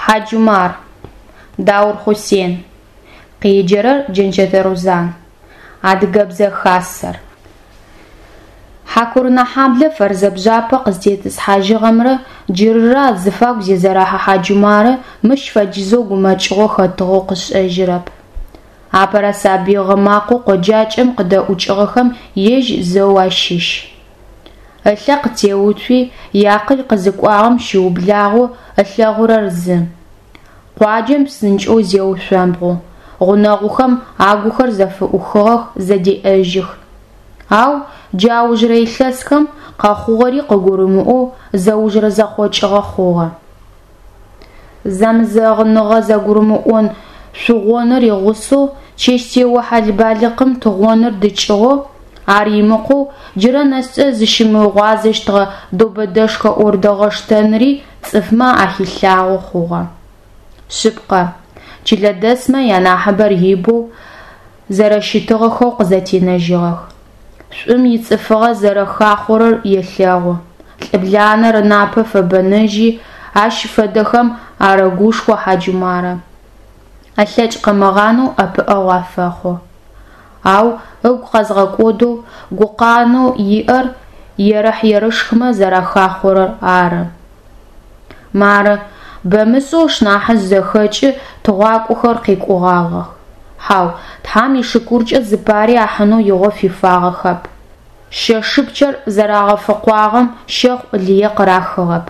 Хьаджумар. Даур Хъусен. Къеджэрэр Джэнчэтэ Рузан. Адыгэбзэ Хасэр. Хьакурынэхьаблэ Фэрзэ бжъапэ къызытетӏысхьажьыгъэмрэ джырырэ азыфагу Зезэрэхьэ Хьаджумарэ мыщ фэдизэу гумэкӏыгъо хэтыгъэу къышӏэжьырэп. Апэрэ сабый гъы макъэу къоджакӏэм къыдэӏукӏыгъэхэм ежь зэу ащыщ. Ылъэ къытеуцуи, иакъыл къызыкӏуагъэм щыублагъэу ылъэгъурэр зы. Къуаджэм псынкӏэу зеушъомбгъу, гъунэгъухэм агухэр зэфыӏухыгъэх, зэдеӏэжьых. Ау джы аужырэ илъэсхэм, къэхъугъэри къыгурымыӏоу, зэужырэ зэхъокӏыгъэ хъугъэ. Зэмызэгъыныгъэ зэгурымыӏон шъугъоныр игъусэу, чэщтео хьал-балыкъым тыгъоныр дыкӏыгъоу, ар имыкъоу, джырэ нэскӏэ зыщымыгъуазэщтыгъэ добэдэшхэ ӏордэгъэштэныри цӏыфмэ ахилъагъо хъугъэ. Шъыпкъэ, чылэдэсмэ янахьыбэр ибэу зэрэщытыгъэхэу къызэтенэжьыгъэх. Шӏум ицӏыфыгъэ зэрэхахъорэр елъэгъу, лӏыбланэр ынапэ фэбэнэжьи, ащ фэдэхэм арэгушхо Хьаджумарэ. Ылъэкӏ къымыгъанэу ӏэпыӏэгъу афэхъу. Ау ыгу къэзгъэкӏодэу, гукъанэу иӏэр ерыхь-ерышхмэ зэрахахъорэр ары. Мары, бэмышӏэу ышнахьыжъ зэхэкӏи тыгъуакӏохэр къекӏугъагъэх. Хьау, Тхьам ишыкуркӏэ зыпари ахьынэу игъо фифагъэхэп. Шэщыпчъэр зэрагъэфыкъуагъэм щэхъу лые къырахыгъэп.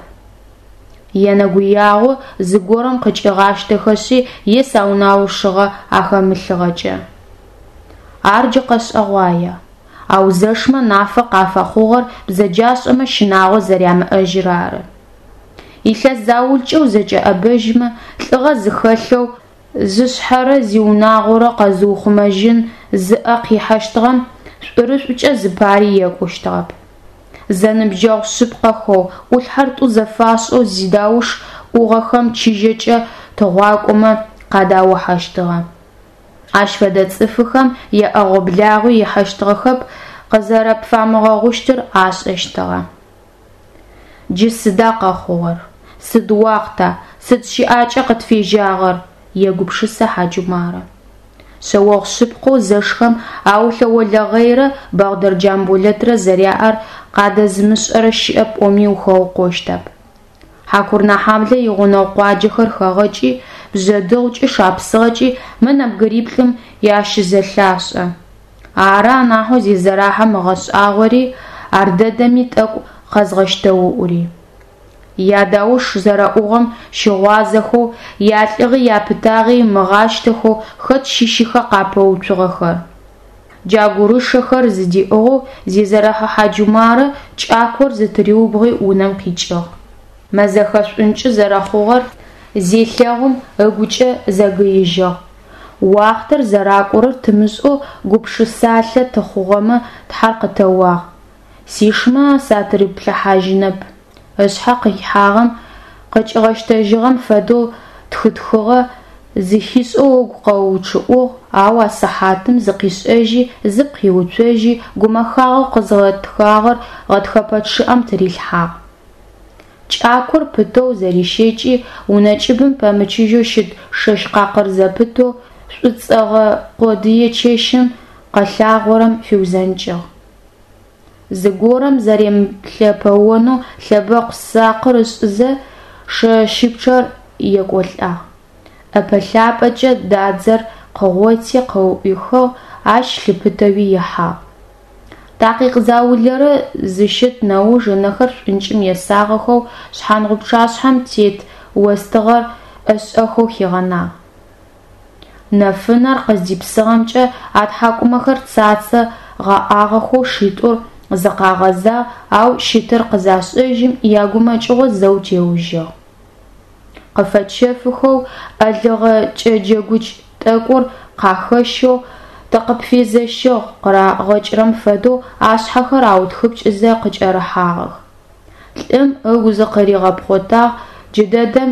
Енэгуягъо зыгорэм къыкӏигъащтэхэшъи е сэнаущыгъэ ахэмылъыгъэкӏэ. Ар джы къэшӏэгъуае. Ау зэшмэ нафэ къафэхъугъэр бзэджашӏэмэ щынагъо зэрямыӏэжьыр ары. Илъэс заулэкӏэ узэкӏэӏэбэжьмэ, лӏыгъэ зыхэлъэу, зышъхьэрэ зиунагъорэ къэзыухъумэжьын зыӏэ къихьэщтыгъэм шӏурышӏукӏэ зыпари екӏущтыгъэп. Зэныбджэгъу шъыпкъэхэу, ӏулъхьэр тӏу зэфашӏэу зидауш ӏугъэхэм чыжьэкӏэ тыгъуакӏомэ къадаухьэщтыгъэ. Ащ фэдэ цӏыфыхэм яӏэгъо-благъуи ихьэщтыгъэхэп, къызэрэпфамыгъэгъущтыр ашӏэщтыгъэ. Джы сыда къэхъугъэр? Сыд уахъта, сыд щыӏакӏа къытфежьагъэр? егупшысэ Хьаджумарэ. Шъэогъу шъыпкъэу зэшхэм Аулъэ Олэгъэйрэ Бэгъдэр Джамболэтрэ зэряӏэр къадэзымышӏэрэ щыӏэп пӏоми ухэукъощтэп. Хьакурынэхьаблэ игъунэгъу къуаджэхэр хэгъэкӏи, Бжъэдыгъукӏи Шапсыгъэкӏи мы нэбгыриплӏым ащызэлъашӏэ. Ары анахьэу Зезэрахьэм ыгъэшӏагъори, ардэдэми тӏэкӏу къэзгъэщтэуӏури. Ядауш зэрэӏугъэм щыгъуазэхэу, ялӏыгъи япытагъи ымыгъащтэхэу хэт щыщыха къапэуцугъэхэр? Джа гурышэхэр зыдиӏыгъэу Зезэрэхьэ Хьаджумарэ кӏакор зытыриубгъуи унэм къикӏыгъ. Мэзэхэ шӏункӏы зэрэхъугъэр зелъэгъум, ыгукӏэ зэгыижьыгъ: Уахътэр зэракӏорэр тымышӏэу гупшысалъэ тыхъугъэмэ Тхьэр къытэуагъ. Сишмэ сатыриплъыхьажьынэп. Ышъхьэ къихьагъэм къыкӏигъэщтэжьыгъэм фэдэу тхытхыгъэ, зэхишӏэу ыгу къэучъыӏугъ, ау а сыхьатым зыкъишӏэжьи, зыпкъ иуцожьи, гумэхагъэу къызгъэтхагъэр гъэтхэпэ чъыӏэм тырилъхьагъ. Кӏакор пытэу зэрищэкӏи, унэ кӏыбым пэмычыжьэу щыт шэщ къакъыр зэпытэу, шӏуцӏэгъэ къодые чэщым къэлъагъорэм фиузэнкӏыгъ. Зыгорэм зэремылъэпэонэу лъэбэкъу сакъыр ышӏызэ, шэщыпчъэр екӏолӏагъ. ӏэпэ-лъапэкӏэ дадзэр къыгъоти къыӏуихыгъ, ащ лъыпытэуи ихьагъ. Такъикъ заулэрэ зыщыт нэуж ынэхэр шӏункӏым есагъэхэу шъхьангъупчъашъхьэм тет остыгъэр ӏэшӏэхэу хигъэнагъ. Нэфынэр къыздипсыгъэмкӏэ атхьакӏумэхэр цацэ гъэӏагъэхэу шитӏур зыкъагъэзагъ, ау щытыр къызашӏэжьым, ягумэкӏыгъо зэу теужьыгъ. Къыфэчэфыхэу, ӏэлыгъэ кӏэджэгукӏ тӏэкӏур къахэщэу, тыкъыпфезэщыгъ къырагъэкӏырэм фэдэу ашъхьэхэр аутхыпкӏызэ къыкӏэрыхьагъэх. Лӏым ыгу зыкъыригъэпхъотагъ, джыдэдэм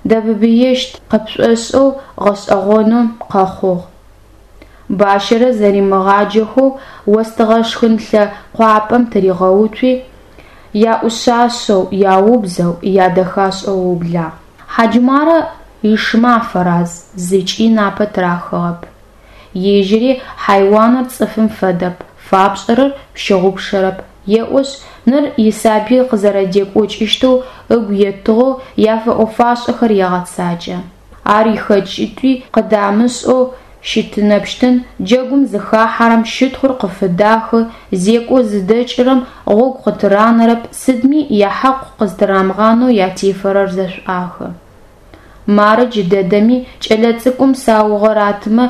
дэбыбыещт къыпшӏошӏэу гъэшӏэгъонэу къэхъугъ. Бащэрэ зэримыгъаджэхэу остыгъэ шхынлъэ къуапэм тыригъэуцуи, яӏушъашъэу, яубзэу, ядэхашӏэу ыублагъ. Хьаджумарэ Ишымэ афэраз, зыкӏи напэ тырахыгъэп. Ежьыри хьайуаныр цӏыфым фэдэп, фапшӏэрэр пщыгъупшэрэп, еӏошъ, ныр исабый къызэрэдекӏокӏыщтэу ыгу етыгъэу яфэӏо-фашӏэхэр егъэцакӏэ. Ар ихэкӏитӏуи къыдамышӏэу щытынэпщтын, джэгум зыхахьэрэм щытхъур къыфыдахы, зекӏо зыдэкӏырэм гъогу къытыранэрэп, сыдми яхьакъ къызтырамыгъанэу ятефэрэр зэшӏуахы. Мары джыдэдэми кӏэлэцӏыкӏум саугъэ ратымэ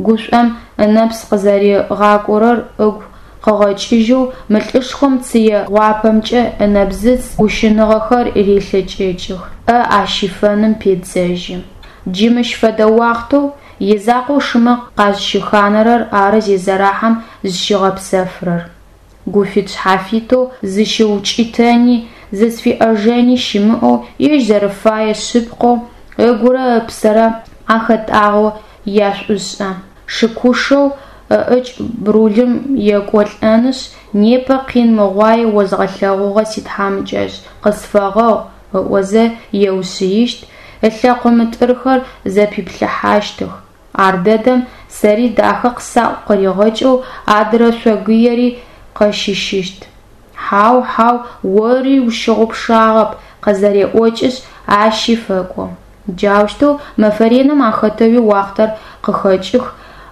гушӏом ынэпс къызэригъакӏорэр ыгу къыгъэкӏыжьэу мы лӏышхом цые гъуапэмкӏэ ынэбзыц ущыныгъэхэр релъэкӏэкӏых, ӏэ ащифэным педзэжьы. Джы мыщ фэдэ уахътэу изакъоу шымэ къазщыханэрэр ары Зезэрахьэм зыщигъэпсэфырэр. Гуфит-шъхьафитэу зыщыукӏытэни, зызфиӏэжэни щымыӏэу, ежь зэрэфэе шъыпкъэу, ыгурэ ыпсэрэ ахэтӏагъэу яшӏушӏэ. Шыкушэу ыӏыкӏ брулым екӏолӏэнышъ, непэ къин мыгъуае озгъэлъэгъугъэ ситхьамыкӏэжъ, къысфэгъэгъу ыӏозэ еушъыищт, ылъэкъо мытӏырхэр зэпиплъыхьащтых. Ардэдэм сэри дахэ къысаӏу къыригъэкӏэу адырэ шъогыери къэщыщыщт. Хьау, хьау, ори ущыгъупшагъэп, къызэреӏокӏышъ, ащи фэкӏо. Джаущтэу мэфэ реным ахэтэуи уахътэр къыхэкӏых,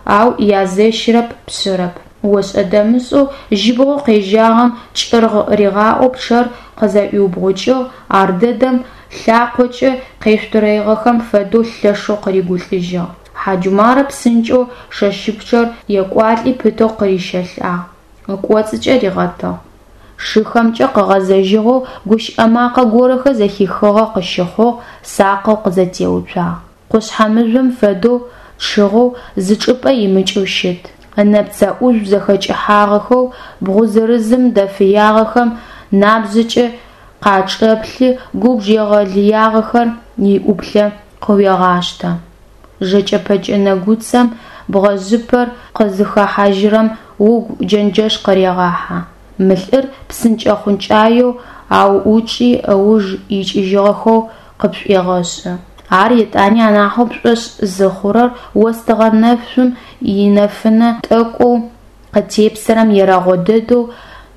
ау язэщырэп, пшъырэп. Ошӏэ-дэмышӏэу жьыбгъэу къежьагъэм кӏыргъ ригъаӏоу пчъэр къызэӏуиубгъукӏыгъ, ардэдэм лъакъокӏэ къешъутӏырэигъэхэм фэдэу лъэшэу къыригулӏыжьыгъ. Хьаджумарэ псынкӏэу шэщыпчъэр екӏуалӏи пытэу къырищэлӏагъ, ыкӏоцӏыкӏэ ригъэтыгъ. Шыхэмкӏэ къыгъэзэжьыгъэу гущыӏэ макъэ горэхэр зэхихыгъэ къыщыхъугъ, сакъэу къызэтеуцуагъ. Къушъхьэ мыжъом фэдэу чъыгъэу, зы чӏыпӏэ имыкӏэу щыт. Ынэпцэ ӏужъу зэхэкӏыхьагъэхэу бгъу зырызым дэфыягъэхэм набжъэкӏэ къачӏэплъы, губж егъэлыягъэхэр иӏуплъэ къыуегъаштэ. Жэкӏэ-пэкӏэ нэгуцэм бгъэжъыпэр къызыхэхьажьырэм угу джэнджэш къырегъахьэ. Мы лӏыр псынкӏэ-хъункӏаеу ауӏучӏи ыуж икӏыжьыгъэхэу къыпшӏуегъэшӏы. Ар етӏани анахьэу пшӏошъ зыхъурэр остыгъэ нэшъум инэфынэ тӏэкӏоу къытепсэрэм ерэгъо дэдэу,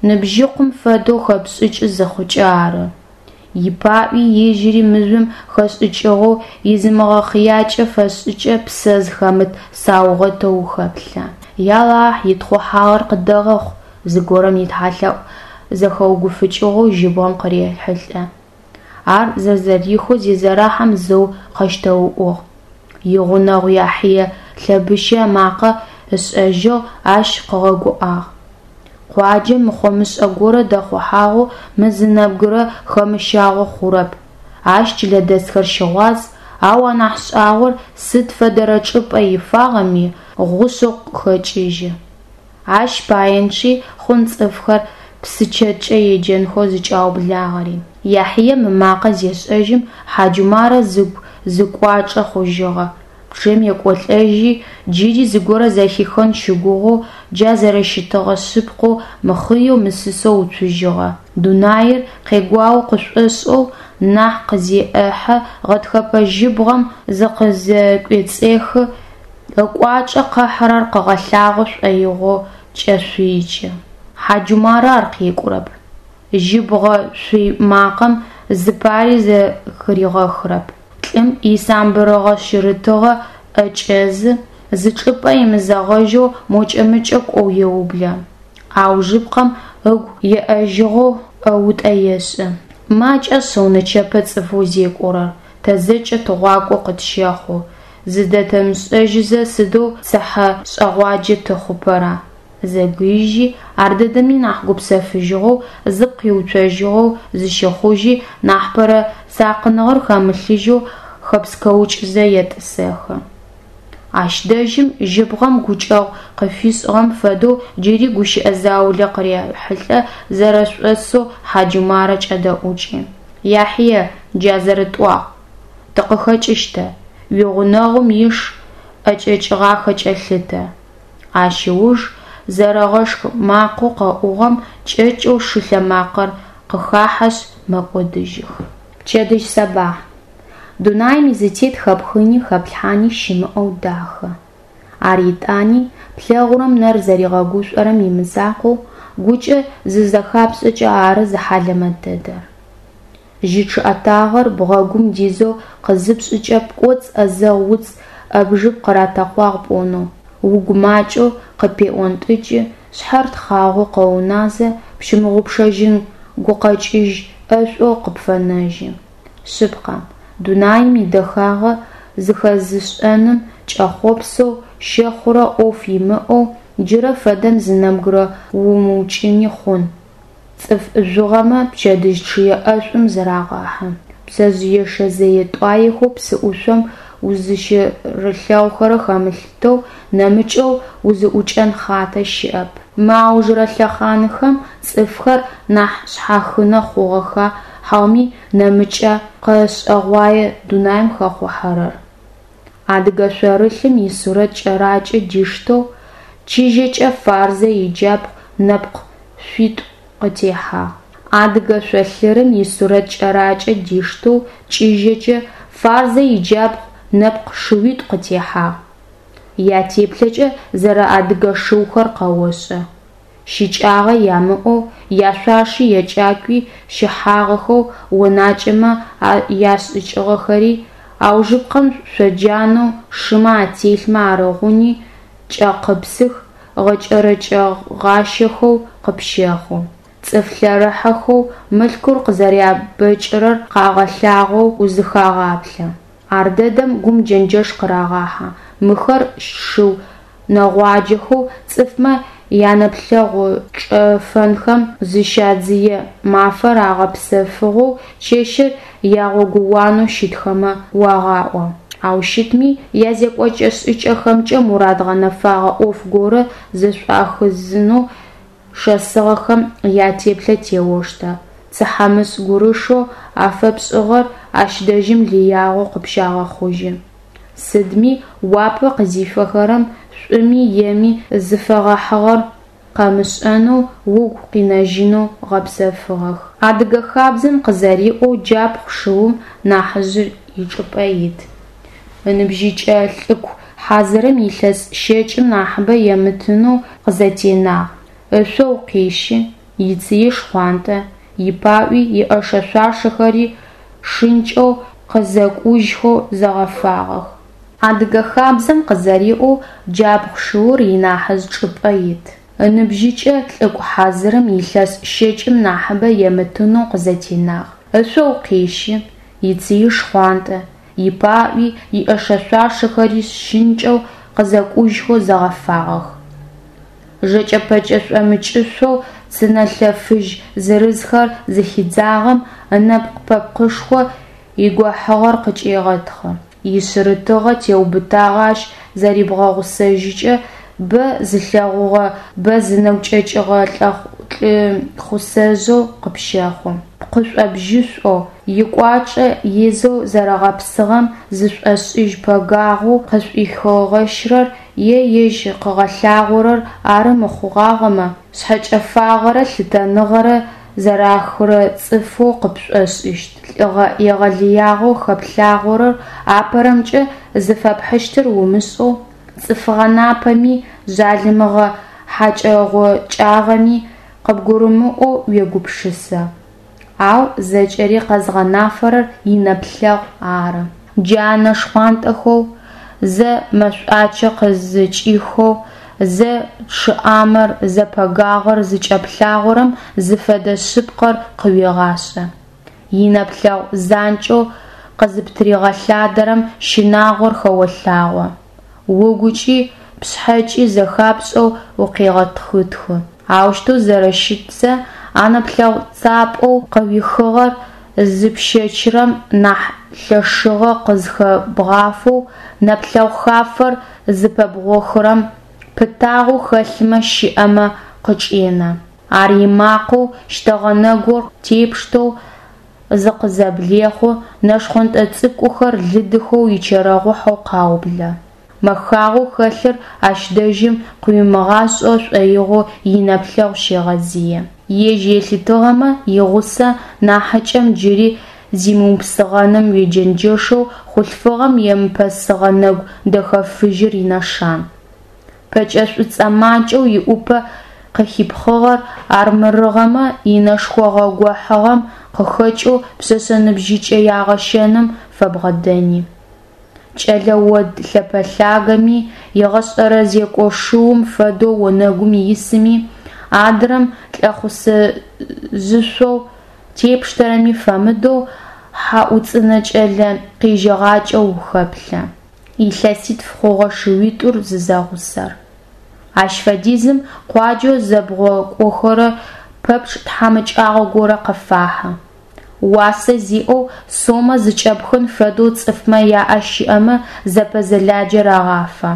ныбжьыкъум фэдэу хэпшӏыкӏы зыхъукӏэ ары. Ипаӏуи ежьыри мыжъом хэшӏыкӏыгъэу изымыгъэхъыякӏэ фэшӏыкӏэ псэ зыхэмыт саугъэтэу ухэплъэ. Ялахь, итхъухьагъэр къыддэгъэхъу, зыгорэм итхьалъэӏу зэхэугуфыкӏыгъэу жьыбгъэм къырехьылӏэ. Ар зэрэзэхихэу Зезэрахьэм зэу къэщтэуӏугъ. Игъунэгъу Яхьие лъэбыщэ ымакъэ ышӏэжьыгъ, ащ къыгъэгуӏагъ. Къуаджэм мыхъо-мышӏэ горэ дэхъухьагъэу мы зы нэбгырэ хэмыщагъэу хъурэп, ащ чылэдэсхэр щыгъуаз, ау анахь шӏагъор сыд фэдэрэ чӏыпӏэ ифагъэми, гъушъэу къыхэкӏыжьы. Ащ паенчъи хъун цӏыфхэр псычэткӏэ еджэнхэу зыкӏаублагъэри. Яхьие ымакъэ зешӏэжьым, Хьаджумарэ зыгу зы кӏуачӏэ хъужьыгъэ, пчъэм екӏолӏэжьи, джыри зыгорэ зэхихын щыгугъэу, джа зэрэщытыгъэ шъыпкъэу мыхъыеу мысысэу уцужьыгъэ. Дунаир къегуао къышӏошӏэу нахь къызеӏэхьэ, гъэтхэпэ жьыбгъэм зыкъызэкӏуцӏехы, ыкӏуачӏэ къыхьырэр къыгъэлъагъо шӏоигъоу кӏэшъуикӏы. Хьаджумарэ ар къекӏурэп. Жьыбгъэ шъуй макъэм зыпари зэхыригъэхырэп. Лӏым исамбырыгъэ-шъырытыгъэ ӏэкӏэзы, зы чӏыпӏэ имызэгъэжьэу мокӏэ-мыкӏэ кӏоу еублэ. Аужыпкъэм ыгу еӏэжьыгъэу ӏэутӏэ ешӏы. Макӏэ шъыу нычэпэ цӏыфэу зекӏорэр, тэ зэкӏэ тыгъуакӏо къытщэхъу, зыдэтымышӏэжьызэ сыдэу цыхьэшӏэгъуаджэ тыхъупэра? Зэгыижьи, ардэдэми нахь гупсэфыжьыгъэу, зыпкъ иуцожьыгъэу зыщэхъужьи, нахьыпэрэ сакъыныгъэр хэмылъыжьэу хэпскэукӏызэ етӏысэхы. Ащ дэжьым жьыбгъэм гукӏэгъу къыфишӏыгъэм фэдэу джыри гущыӏэ заулэ къырехьылӏэ зэрэшӏошӏэу Хьаджумарэ кӏэдэӏукӏы. Яхьие, джа зэрэтӏуагъ, тыкъыхэкӏыщт, уигъунэгъум иш ӏэкӏэкӏыгъахэкӏэ лъытэ. Ащ ыуж зэрэгъэшх макъэу къэӏугъэм кӏэкӏэу шы лъэмакъэр къыхахьэшъ мэкӏодыжьых. Пчэдыжь сэбахь. Дунаим изытет хэпхыни хэплъхьани щымыӏэу дахэ. Ар етӏани, плъэгъурэм нэр зэригъэгушӏорэм имызакъоу, гукӏэ зызэхапшӏэкӏэ ары зыхьалэмэт дэдэр. Жьы чъыӏэтагъэр бгъэгум дизэу къызыпшӏыкӏэ пкӏоцӏ ӏэзэгъу уц ӏэбжыб къыратэкъуагъ пӏонэу, угу макӏэу къыпеӏонтӏыкӏы, шъхьэр тхъагъоу къэуназэ, пщымыгъупшэжьын гукъэкӏыжь ӏэшӏоу къыпфэнэжьы. Шъыпкъэ, дунаим идэхагъэ зэхэзышӏэным кӏэхъопсэу, щэхъурэ ӏоф имыӏэу джырэ фэдэм зы нэбгырэ умыукӏыни хъун. Цӏыф жъугъэмэ пчэдыжь чъые ӏэшӏум зырагъэхьы. Пцэжъыешэ зэе-тӏуаехэу псыӏушъом узыщырылъэгъухэрэр хэмылъытэу, нэмыкӏэу узыӏукӏэн хъатэ щыӏэп. Мы аужырэ лъэхъанхэм цӏыфхэр нахь шъхьахынэ хъугъэха хьауми нэмыкӏа къэшӏэгъуае дунаим хэхъухьэрэр. Адыгэ шъорылъым исурэт кӏэракӏэ диштэу, чыжьэкӏэ Фарзэ иджабгъу нэпкъ шыуитӏу къытехьагъ. Адыгэ шъолъырым исурэт кӏэракӏэ диштэу чыжьэкӏэ Фарзэ иджабгъу нэпкъ шыуитӏу къытехьагъ. Ятеплъэкӏэ зэрэадыгэ шыухэр къэошӏэ. Щыкӏагъэ ямыӏэу, яшъуаши якӏакуи щыхьагъэхэу, онакӏэмэ яшӏыкӏыгъэхэри, аужыпкъэм шъоджанэу шымэ ателъмэ арыгъуни кӏэкъыпсых, гъэкӏэрэкӏэгъащэхэу къыпщэхъу. Цӏыф лъэрыхьэхэу, мылъкур къызэрябэкӏырэр къагъэлъагъоу узыхагъаплъэ. Ардэдэм гум джэнджэш къырагъахьэ: мыхэр шыу нэгъуаджэхэу цӏыфмэ янэплъэгъу чӏэфэнхэм зыщадзые, мафэр агъэпсэфыгъэу, чэщыр ягъогууанэу щытхэмэ уагъаӏо. Ау щытми, язекӏокӏэ-шӏыкӏэхэмкӏэ мурад гъэнэфагъэ ӏоф горэ зэшӏуахызынэу шэсыгъэхэм ятеплъэ теоштэ, цыхьэмышӏ гурышэу афэпшӏыгъэр ащ дэжьым лыягъэу къыпщагъэхъужьы. Сыдми, уапэ къызифэхэрэм шӏуми еми зыфэгъэхьыгъэр къэмышӏэнэу, угу къинэжьынэу гъэпсыгъэх. Адыгэ хабзэм къызэриӏоу джабгъу шыум нахьыжъыр ичӏыпӏэ ит. Ыныбжьыкӏэ лӏыку хьазырым илъэс щэкӏым нахьыбэ емытынэу къызэтенагъ. Ышъо укъещы, ицые шхъуантӏэ, ипаӏуи иӏэшэ-шъуашэхэри шынкӏэу, къызэкӏужьхэу зэгъэфагъэх. Адыгэ хабзэм къызэриӏоу джабгъу шыур инахьыжъ чӏыпӏэ ит. Ыныбжьыкӏэ лӏыку хьазырым илъэс щэкӏым нахьыбэ емытынэу къызэтенагъ. Ышъо укъещы, ицые шхъуантӏэ, ипаӏуи иӏэшэ-шъуашэхэри шынкӏэу, къызэкӏужьхэу зэгъэфагъэх. Жэкӏэ-пэкӏэ шӏомыкӏышъоу цы нэлъэ фыжь зырызхэр зыхидзагъэм ынэпкъ-пэпкъышхо игохьыгъэр къыкӏегъэтхъы, ишъырытыгъэ теубытагъэ ащ зэрибгъэгъусэжьыкӏэ, бэ зылъэгъугъэ, бэ зынэгу кӏэкӏыгъэ лӏыхъусэжъэу къыпщэхъу. Пкъышӏо-бжьышӏоу, икӏуачӏэ изэу зэрэгъэпсыгъэм зышӏошӏыжь пэгагъэу къызшӏухигъэщрэр е ежь къыгъэлъагъорэр ары мыхъугъагъэмэ, шъхьэкӏэфагъэрэ лъытэныгъэрэ зэрахырэ цӏыфэу къыпшӏошӏыщт. Лӏыгъэ егъэлыягъэу хэплъагъорэр апэрэмкӏэ зыфэпхьыщтыр умышӏэу, цӏыфыгъэ напэми, жъалымыгъэ хьакӏэ-гъокӏагъэми къыбгурымыӏоу уегупшысэ. Ау зэкӏэри къэзгъэнафэрэр инэплъэгъу ары. Джа нэ шхъуантӏэхэу зэ мэшӏуачэ къызыкӏихэу, зэ чъыӏамэр, зэ пэгагъэр зыкӏэплъагъорэм зыфэдэ шъыпкъэр къыуегъашӏэ. Инэплъэгъу занкӏэу къызыптыригъэлъадэрэм щынагъор хэолъагъо, угукӏи пшъхьэкӏи зэхапшӏэу укъегъэтхытхы. Аущтэу зэрэщытзэ, а нэплъэгъу цапӏэу къыуихыгъэр зыпщэчырэм нахь лъэшыгъэ къызхэбгъафэу нэплъэгъу хафэр зыпэбгъохырэм пытагъэу хэлъымэ щэӏэфэ къычӏенэ. Ар имакъэу щтэгъэ нэгур тепштэу зыкъызэблехъу, нэ шхъонтӏэ цӏыкӏухэр лыдыхэу ичэрэгъухьэу къаублэ. Мэхагъэу хэлъыр ащ дэжьым къыуимыгъашӏэ шӏоигъоу инэплъэгъу щегъэзые. Ежь елъытыгъэмэ, игъусэ нахьыкӏэм джыри зимыупсыгъэным уеджэнджэшэу хъулъфыгъэм емыпэсыгъэ нэгу дэхэ фыжьыр инэшан. Пэкӏэ шӏуцӏэ макӏэу иӏупэ къыхипхъыгъэр армырыгъэмэ, инэшхогъэ-гохьыгъэм къыхэкӏэу пшъэшъэ ныбжьыкӏэ ягъэщэным фэбгъэдэни. Кӏэлэ од лъэпэ-лъагэми, егъэшӏэрэ зекӏошыум фэдэу онэгум исыми, адрэм лӏэхъусэжъышъоу тепштэрэми фэмыдэу хьаӏуцӏынэ кӏэлэ къежьэгъакӏэу ухэплъэ. Илъэситф хъугъэ шыуитӏур зызэгъусэр. Ащ фэдизым къуаджэу зэбгъокӏохэрэ пэпчъ тхьамыкӏагъо горэ къыфахьы. Уасэ зиӏэу сомэ зыкӏэпхын фэдэу цӏыфмэ яӏэ щыӏэмэ зэпэзэладжэ рагъафэ.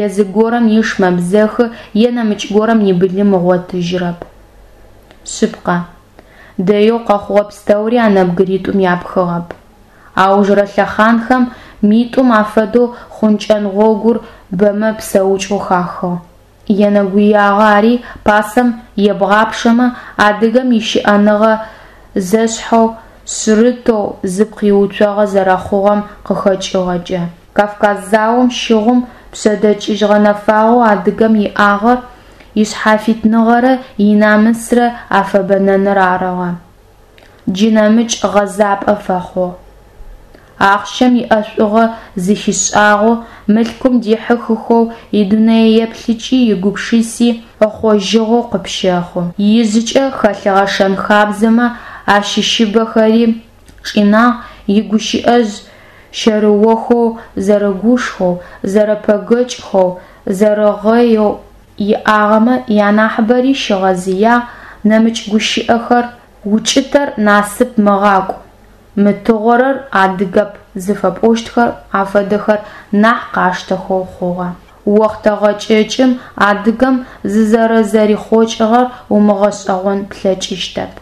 Е зыгорэм иш мэбзэхы е нэмыкӏ горэм ибылым ыгъотыжьырэп. Шъыпкъэ, дэеу къэхъугъэ пстэури а нэбгыритӏум япхыгъэп. Аужырэ лъэхъанхэм митӏум афэдэу хъункӏэн гъогур бэмэ псэукӏэу хахыгъ. Енэгуягъо ари пасэм ебгъапшэмэ, адыгэм ищыӏэныгъэ зэшъхьэу, шъырытэу зыпкъ иуцогъэ зэрэхъугъэм къыхэкӏыгъэкӏэ. Кавказ заом щыгъум пшъэдэкӏыжь гъэнэфагъэу адыгэм иӏагъэр ишъхьафитныгъэрэ инамысрэ афэбэнэныр арыгъэ. Джы нэмыкӏ гъэзапӏэ фэхъугъ. Ахъщэм иӏэшӏугъэ зыхишӏагъэу, мылъкум дихьыхыхэу идунэееплъыкӏи игупшыси ыхъожьыгъэу къыпщэхъу. Ижъыкӏэ хэлъыгъэ шэн-хабзэмэ ащыщыбэхэри чӏинагъ, игущыӏэжъ щэрыохэу, зэрыгушхоу, зэрэпэгэкӏхэу, зэрэгъэеу иӏагъэмэ янахьыбэри щигъэзыягъ, нэмыкӏ гущыӏэхэр «укӏытэр насып мыгъакӏу», «мытыгъорэр адыгэп» зыфэпӏощтхэр афэдэхэр нахь къаштэхэу хъугъэ. Охътэ гъэкӏэкӏым адыгэм зызэрэзэрихъокӏыгъэр умыгъэшӏэгъон плъэкӏыщтэп.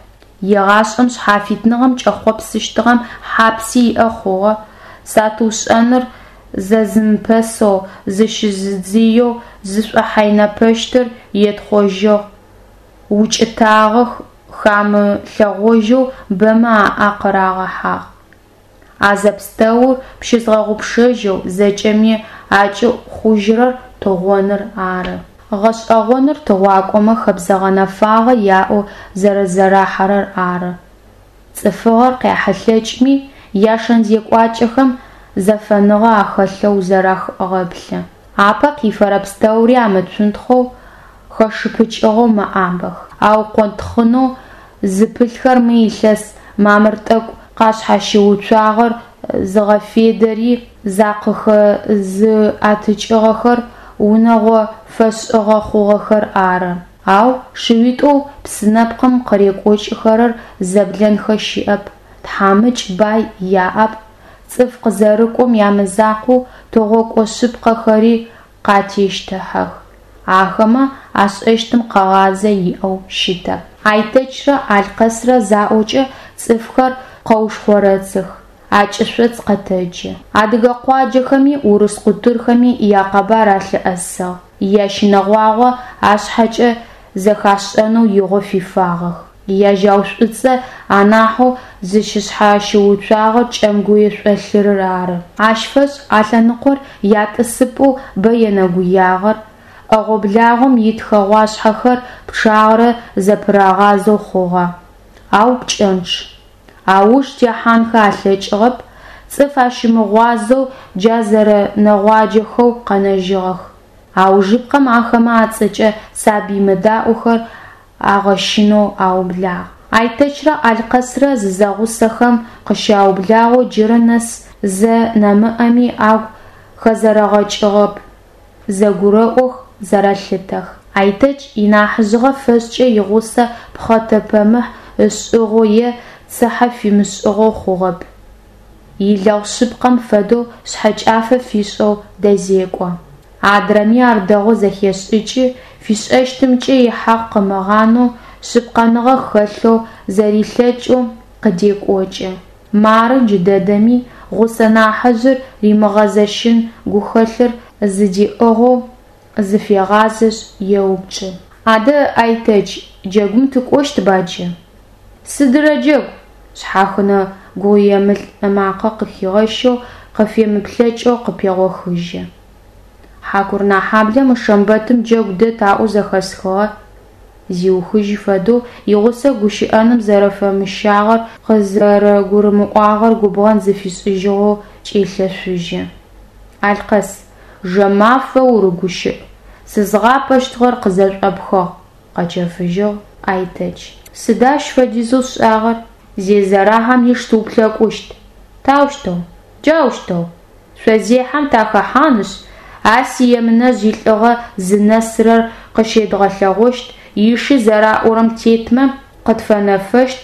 Егъашӏэм шъхьафитныгъэм кӏэхъопсыщтыгъэм хьапси иӏэ хъугъэ, сатыушӏэныр зэзымыпэсэу, зыщызыдзыеу зышӏохьайнэпэщтыр етхъожьыгъ, укӏытагъэ хамылъэгъожьэу бэмэ аӏэ къырагъэхьагъ. А зэпстэур пщызгъэгъупшэжьэу зэкӏэми акӏыӏу хъужьырэр тыгъоныр ары. Гъэшӏэгъоныр тыгъуакӏомэ хэбзэ гъэнэфагъэ яӏэу зэрэзэрахьэрэр ары. Цӏыфыгъэр къяхьылъэкӏми, яшэн-зекӏуакӏэхэм зэфэныгъэ ахэлъэу узэрагъэплъы. Апэ къифэрэ пстэури амыцунтхъэу, хэшыпыкӏыгъэу мэӏабэх. Аукъонтхъынэу зыпылъхэр мы илъэс мамыр тӏэкӏу къашъхьащыуцуагъэр зыгъэфедэри, закъыхэзыӏэтыкӏыгъэхэр унэгъо фэшӏыгъэ хъугъэхэр ары. Ау шыуитӏоу псынэпкъым къырекӏокӏыхэрэр зэблэнхэ щыӏэп, тхьамыкӏ, бай яӏэп, цӏыф къызэрыкӏом ямызакъоу тыгъокӏо шъыпкъэхэри къатещтыхьэх. Ахэмэ ашӏэщтым къэгъазэ иӏэу щытэп. Айтэчрэ Алъкъэсрэ заӏокӏэ цӏыфхэр къэушхъорэцых, акӏышъоц къэтэджы. Адыгэ къуаджэхэми урыс къутырхэми якъэбар алъыӏэсыгъ, ящынэгъуагъо ашъхьэкӏэ зэхашӏэнэу игъо фифагъэх. Яжьау шӏуцӏэ анахьэу зыщышъхьащыуцуагъэр Кӏэмгуе шъолъырыр ары. Ащ фэшӏ а лъэныкъор ятӏысыпӏэу бэ енэгуягъэр, ӏэгъо-благъом ит хэгъуашъхьэхэр пчъагъэрэ зэпырагъазэу хъугъэ, ау пкӏэнчъ. Ауж техьанхэ алъэкӏыгъэп, цӏыф ащымыгъуазэу джа зэрэнэгъуаджэхэу къэнэжьыгъэх. Аужыпкъэм ахэмэ ацӏэкӏэ сабый мыдаӏохэр агъэщынэу аублагъ. Айтэчрэ Алъкъэсрэ зызэгъусэхэм къыщаублагъэу джырэ нэс зэ нэмыӏэми агу хэзэрэгъэкӏыгъэп, зэгурэӏох, зэрэлъытэх. Айтэч инахьыжъыгъэ фэшӏкӏэ игъусэ пхъэтэпэмыхь ышӏыгъэу е цыхьэ фимышӏыгъэу хъугъэп. Илэгъу шъыпкъэм фэдэу шъхьэкӏафэ фишӏэу дэзекӏо. Адрэми ар дэгъоу зэхешӏыкӏы, фишӏэщтымкӏэ ихьакъ къымыгъанэу, шъыпкъэныгъэ хэлъэу, зэрилъэкӏэу къыдекӏокӏы. Мары джыдэдэми гъусэ нахьыжъыр римыгъэзэщын гухэлъыр зыдиӏыгъэу зыфегъазэшъ, еупчӏы. Адэ, Айтэч, джэгум тыкӏощтба джы? Сыдырэ джэгу? Шъхьахынэ гугъуемылӏ ымакъэ къыхигъэщэу, къыфемыплъэкӏэу къыпегъохыжьы. Хьакурынэхьаблэ мы шэмбэтым джэгу дэт аӏоу зэхэсхыгъэ, зиухыжьы фэдэу игъусэ гущыӏэным зэрэфэмыщагъэр къызэрэгурымыӏуагъэр губгъэн зыфишӏыжьыгъэу кӏелъэшъужьы. Алъкъэс, жэмафэ урыгущыӏ, сызгъапэщтыгъэр къызэшӏопхыгъ, къэчэфыжьыгъ Айтэч. Сыда ащ фэдизэу сшӏагъэр? Зезэрэхьэм иш тыуплъэкӏущт. Таущтэу? Джаущтэу. Шъозехьэм тахэхьанышъ, а си Емынэжъ илӏыгъэ зынэсырэр къыщедгъэлъэгъущт, иши зэраӏорэм тетмэ, къытфэнэфэщт,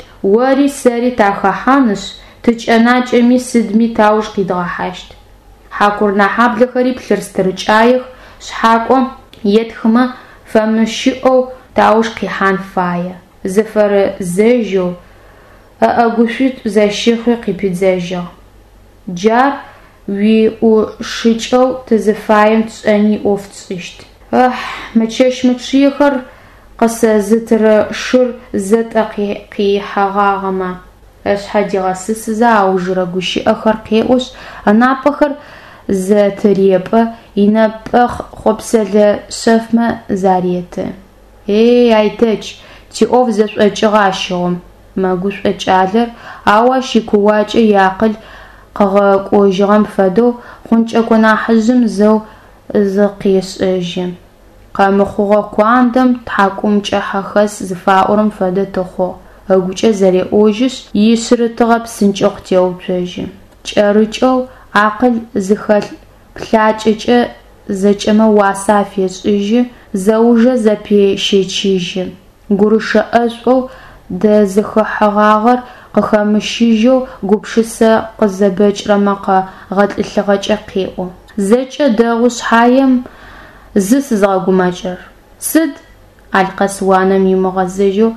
ори сэри тахэхьанышъ, тыкӏэнакӏэми сыдми тауж къидгъэхьащт. Хьакурынэхьаблэхэри плъыр-стырыкӏаех, шъхьакӏо етхымэ, фэмыщыӏэу тауж къихьан фае. Зыфэрэзэжьэу, ыӏэгушъуитӏу зэщихи къыпидзэжьыгъ. Джар уиӏушыкӏэу тызыфаем тшӏэни ӏоф тшӏыщт. Ыхь, мы чэщ мычъыехэр къысэзытырэ шыр зэ тӏэ къихьэгъагъэмэ! Ышъхьэ дигъэсысызэ аужырэ гущыӏэхэр къеӏошъ, ынапӏэхэр зэтырепӏэ, инэпӏэхъ хъопсэлэ шъэфмэ зареты. Эй, Айтэч, тиӏоф зэшӏокӏыгъэ ащыгъум, мэгушӏо кӏалэр, ау ащ икууакӏэ иакъыл къыгъэкӏожьыгъэм фэдэу хъункӏэкӏо нахьыжъым зэу зыкъешӏэжьы. Къэмыхъугъэ куандэм тхьакӏумкӏыхьэ хэс зыфаӏорэм фэдэ тыхъугъ, ыгукӏэ зэреӏожьышъ, ишъырытыгъэ псынкӏэу къытеуцожьы. Кӏэрыкӏэу, акъыл зыхэлъ плъакӏэкӏэ зэкӏэмэ уасэ афешӏыжьы, зэужэ зэпещэчыжьы. Гурышэ ӏэшӏоу дэзыхыхьэгъагъэр къыхэмыщыжьэу гупшысэ къызэбэкӏрэ мэкъэ гъэтӏылъыгъэкӏэ къеӏо. Зэкӏэ дэгъу шъхьаем, зы сызгъэгумэкӏрэр. Сыд? Алъкъэс уанэм имыгъэзэжьэу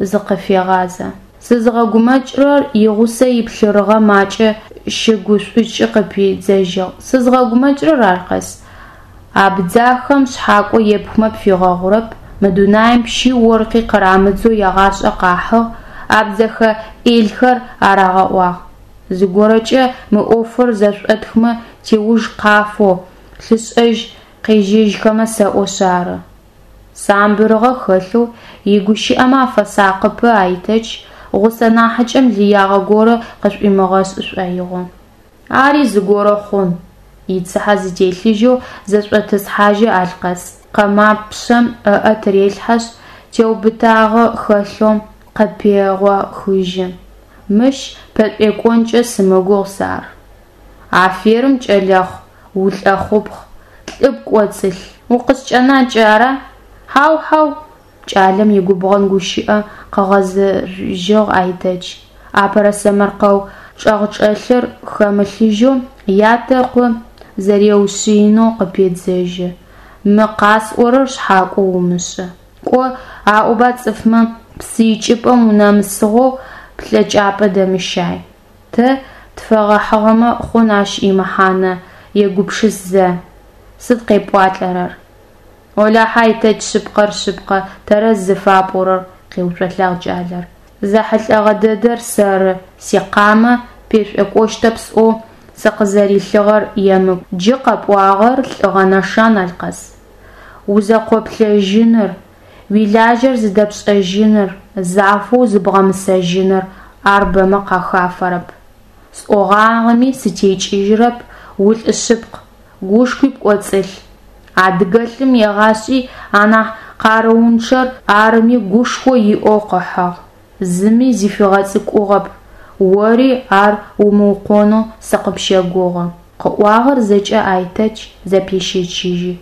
зыкъыфегъазэ. Сызгъэгумэкӏрэр, игъусэ иплъырыгъэ макӏэ щыгушӏукӏи къыпидзэжьыгъ. Сызгъэгумэкӏрэр, Алъкъэс, абдзахэм шъхьакӏо епхмэ пфигъэгъурэп, мы дунаим пщи оркъи къырамыдзэу ягъашӏэ къахьыгъ, абдзэхэ ӏелхэр арагъэӏуагъ. Зыгорэкӏэ мы ӏофыр зэшӏотхмэ, тиуж къафэу, лъышӏэжь къежьэжьхэмэ сэӏошъ ары. Самбырыгъэ хэлъэу, игущыӏэмэ афэсакъыпэ Айтэч, гъусэ нахьыкӏэм лыягъэ горэ къышӏуимыгъэшӏы шӏоигъоу. Ари зыгорэ хъун, ицыхьэ зытелъыжьэу зэшӏотӏысхьажьы Алъкъэс, къэмапшъэм ыӏэ тырелъхьэшъ, теубытагъэ хэлъэу къыпегъохыжьы. Мыщ пэшӏуекӏонкӏэ сымыгугъ сэ ар. Аферым, кӏэлэхъу, улӏэхъупхъ, лӏы пкӏоцӏылъ. Укъыскӏэнакӏэ, ара? Хьау, хьау! Кӏалэм игубгъэн гущыӏэ къыгъэзэжьыгъ Айтэч. Апэрэ сэмэркъэу чӏэгъчӏэлъыр хэмылъыжьэу ятэ ыкъо зэреушъыинэу къыпедзэжьы, Мы къасӏорэр шъхьакӏо умышӏы. Кӏо, аӏоба цӏыфмэ, псы икӏыпӏэм унэмысыгъэу плъэкӏапӏэ дэмыщай. Тэ тфэгъэхьыгъэмэ хъун ащ имэхьанэ, егупшыс зэ. Сыд къепӏуалӏэрэр? Олахьэ, Айтэч, шъыпкъэр шъыпкъэ, тэрэз зыфапӏорэр, къеуцолӏагъ кӏалэр. Зэхьылӏэгъэ дэдэр сэры, сикъамэ пешӏокӏощтэп сӏоу сыкъызэрилъыгъэр емыкӏу. Джы къэпӏуагъэр лӏыгъэ нэшан, Алъкъэс. Узэкъоплъэжьыныр, уилажьэр зыдэпшӏэжьыныр, зафэу зыбгъэмысэжьыныр ар бэмэ къахафэрэп. Сӏогъагъэми сытекӏыжьырэп, улӏы шъыпкъ, гушхуи пкӏоцӏылъ. Адыгэлӏым егъашӏи анахь къарыунчъэр арыми гушхо иӏэу къыхьыгъ, зыми зыфигъэцӏыкӏугъэп, ори ар умыукъонэу сыкъыпщэгугъы. Къыӏуагъэр зэкӏэ Айтэч зэпещэчыжьы,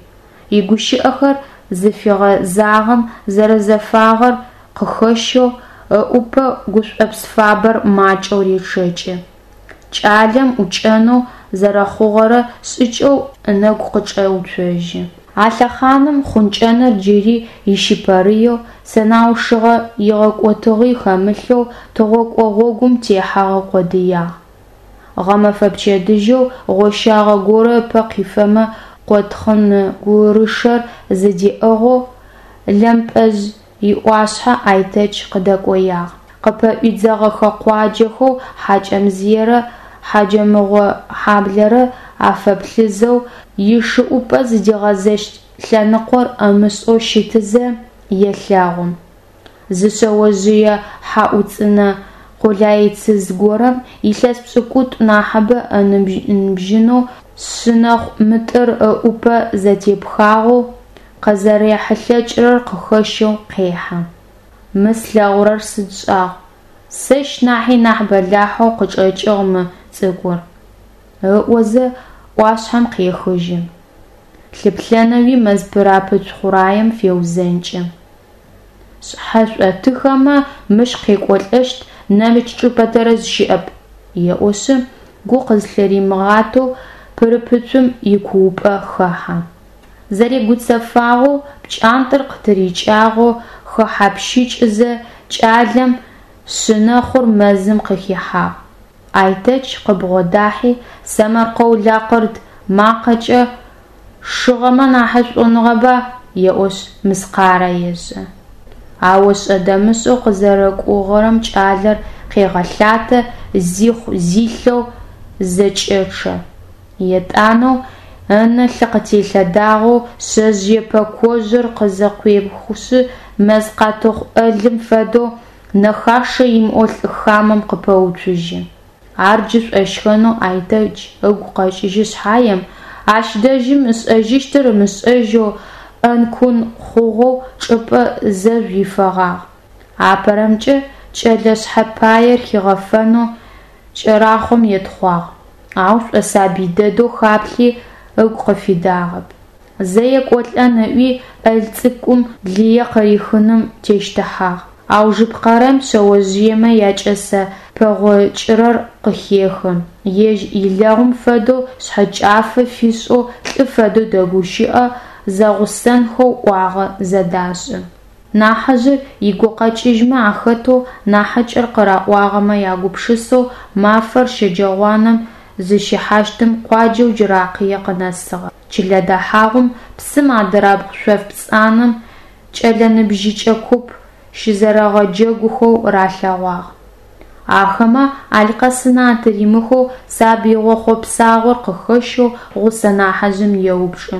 игущыӏэхэр зыфигъэзагъэм зэрэзэфагъэр къыхэщэу ыӏупэ гушӏопс фабэр макӏэу речъэкӏы. Кӏалэм ӏукӏэнэу зэрэхъугъэрэ шӏыкӏэу ынэгу къыкӏэуцожьы. А лъэхъаным хъункӏэныр джыри ищыпэрыеу, сэнаущыгъэ игъэкӏотыгъи хэмылъэу тыгъокӏо гъогум техьэгъэ къодыягъ. Гъэмэфэ пчэдыжьэу гъощагъэ горэ ыпэ къифэмэ къотхъын гурышэр зыдиӏыгъэу Лэмпӏэжъ иӏуашъхьэ Айтэч къыдэкӏоягъ. Къыпэӏудзыгъэхэ къуаджэхэу Хьакӏэмзыерэ Хьаджэмыкъохьаблэрэ афэплъызэу, ишыӏупӏэ зыдигъэзэщт лъэныкъор ымышӏэу щытызэ, елъэгъу: зы шъэожъые хьаӏуцӏынэ къолайцыз горэм, илъэс пшӏыкӏутӏу нахьыбэ ыныбжьынэу, шъынэхъу мытӏыр ыӏупэ зэтепхагъэу, къызэрехьылъэкӏырэр къыхэщэу къехьы. Мы слъэгъурэр сыд шӏагъу, сэщ нахьи нахь бэлахьэу къычӏэкӏыгъ мы цӏыкӏур, ыӏозэ ӏуашъхьэм къехыжьы. Лъыплъэнэуи мэз пырапыцу хъураем феузэнкӏы. Сшъхьэ шӏотыхэмэ, мыщ къекӏолӏэщт нэмыкӏ чӏыпӏэ тэрэз щыӏэп, еӏошъы, гу къызлъыримыгъатэу пырыпыцум икуупӏэ хэхьэ. Зэрегуцэфагъэу, пкӏантӏэр къытырикӏагъэу, хэхьапщыкӏызэ, кӏалэм шъынэхъур мэзым къыхихьагъ. Айтэч къыбгъодахьи, сэмэркъэу-лакъырд макъэкӏэ «Шыгъэмэ нахьышӏугъэба» еӏошъ, мыскъарэ ешӏы. Ау ошӏэ-дэмышӏэу къызэрэкуорэм кӏалэр къегъэлъатэ, зихъу-зилъэу зэкӏэчъэ. Етӏанэ ынэ лъы къытелъэдагъэу шъэжъые пэкожъыр къызэкъуехышъ, мэз къатыхъу ӏэлым фэдэу нэхашэ имыӏэу лӏы хамэм къыпэуцужьы. Ар джы шӏощхэнэу Айтэч ыгу къэкӏыжьы шъхьаем, ащ дэжьым ышӏэжьыщтыр ымышӏэжьэу ӏэнкун хъугъэу чӏыпӏэ зэжъу ифэгъагъ. Апэрэмкӏэ кӏэлэ шъхьэпаер хигъэфэнэу кӏэрахъом етхъуагъ, ау шӏосабый дэдэу хаплъи, ыгу къыфидагъэп. Зэ екӏолӏэн ыӏуи, ӏэл цӏыкӏум лые къырихыным тещтыхьагъ. Аужыпкъэрэм шъэожъыемэ якӏэсэ пэгъокӏырэр къыхехы, ежь илэгъум фэдэу шъхьэкӏафэ фишӏэу лӏы фэдэу дэгущыӏэ, зэгъусэнхэу ӏуагъэ зэдашӏы. Нахьыжъыр игукъэкӏыжьмэ ахэтэу, нахьыкӏэр къыраӏуагъэмэ ягупшысэу мафэр щэджэгъуанэм зыщихьащтым къуаджэу Джыракъые къынэсыгъэх. Чылэ дэхьагъум псым адырабгъу шъоф пцӏанэм кӏэлэ ныбжьыкӏэ куп щызэрэгъэджэгухэу ралъэгъуагъ. Ахэмэ Алъкъэс ынэ атыримыхэу сабыигъо хъопсагъор къыхэщэу гъусэ нахьыжъым еупчӏы: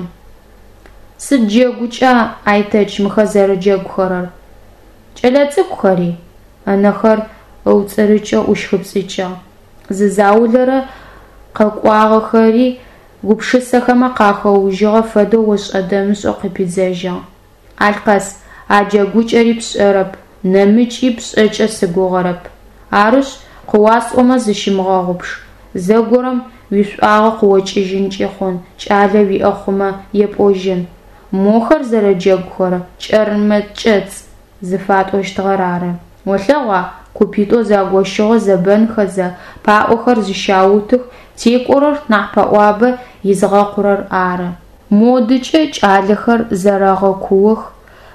Сыд джэгукӏа, Айтэч, мыхэр зэрэджэгухэрэр? Кӏэлэцӏыкӏухэри? Ынэхэр ыуцӏырыкӏэу ӏущхыпцӏыкӏыгъ. Зы заулэрэ къэкӏуагъэхэри гупшысэхэмэ къахэужьыгъэ фэдэу ошӏэ-дэмышӏэу къыпидзэжьыгъ. Алъкъэс, а джэгукӏэри пшӏэрэп, нэмыкӏи пшӏэкӏэ сыгугъэрэп. Арышъ, къыуасӏомэ зыщымыгъэгъупш, зэгорэм уишӏуагъэ къыокӏыжьынкӏи хъун, кӏалэ уиӏэ хъумэ епӏожьын. Мохэр зэрэджэгухэрэр кӏэрмэ-кӏэцӏ зыфатӏощтыгъэр ары. Олъэгъуа, купитӏоу загощыгъэу зэбэнхэзэ, паӏохэр зыщаутых, текӏорэр нахь пэӏуабэ изыгъэкъурэр ары. Модыкӏэ кӏалэхэр зэрэгъэкуох,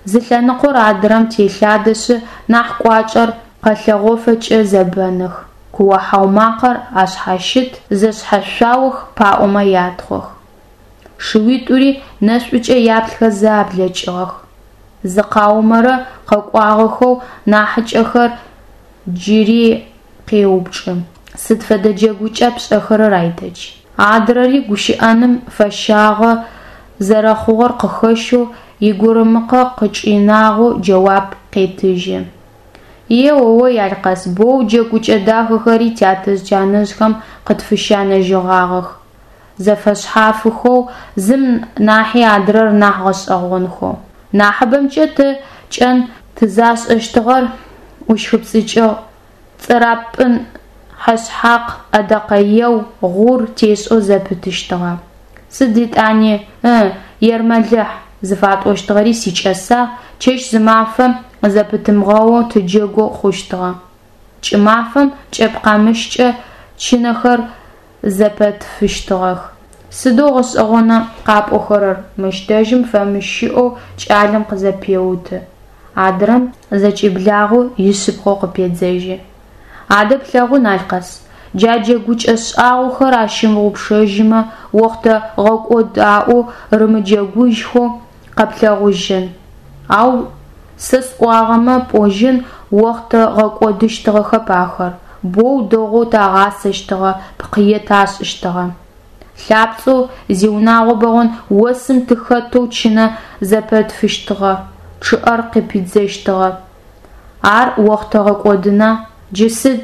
зы лъэныкъор адырэм телъадэшъ, нахь кӏуачӏэр къэлъэгъофэкӏэ зэбэных, куо-хьау макъэр ашъхьащыт, зэшъхьэшъуаох, паӏомэ ятхъох. Шыуитӏури нэшӏукӏэ яплъхэзэ аблэкӏыгъэх. Зыкъаумэрэ къэкӏуагъэхэу нахьыкӏэхэр джыри къеупчӏы: Сыд фэдэ джэгукӏа пшӏэхэрэр, Айтэч? Адрэри гущыӏэным фэщагъэ зэрэхъугъэр къыхэщэу, игурымыкъэ къычӏинагъэу джэуап къетыжьы. Е-о-ой, Алъкъэс, боу джэгукӏэ дахэхэри тятэжъ-тянэжъхэм къытфыщанэжьыгъагъэх, зэфэшъхьафыхэу, зым нахьи адрэр нахь гъэшӏэгъонхэу. Нахьыбэмкӏэ тэ кӏэн тызашӏэщтыгъэр, ӏущхыпцӏыкӏыгъ, цӏырапӏын, хьэшъхьакъ, ӏэдэкъэеу, гъур тешӏэу зэпытыщтыгъэ. Сыд етӏани, ы, ермэлыхь зыфатӏощтыгъэри сикӏэсагъ, чэщ-зымафэ зэпытымыгъэоу тыджэгоу хъущтыгъэ. Кӏымафэм кӏэпкъамыщкӏэ чынэхэр зэпэтфыщтыгъэх. Сыдэу гъэшӏэгъона къапӏохэрэр, мыщ дэжьым фэмыщыӏэу кӏалэм къызэпеуты. Адрэм зэкӏиблагъэу ишъыпкъэу къыпедзэжьы. Адэ плъэгъун, Алъкъэс, джа джэгукӏэ шӏагъохэр ащымыгъупшэжьымэ, охътэ гъэкӏод аӏоу рымыджэгужьхэу къэплъэгъужьын. Ау сэ сӏуагъэмэ пӏожьын, Охътэ гъэкӏодыщтыгъэхэп ахэр, боу дэгъоу тагъасэщтыгъэ, пкъые ташӏыщтыгъэ. Лъапцӏэу, зиунагъо бэгъон, осым тыхэтэу чынэ зэпэтфыщтыгъэ, чъыӏэр къыпидзэщтыгъэ. Ар охътэ гъэкӏодына? Джы сыд?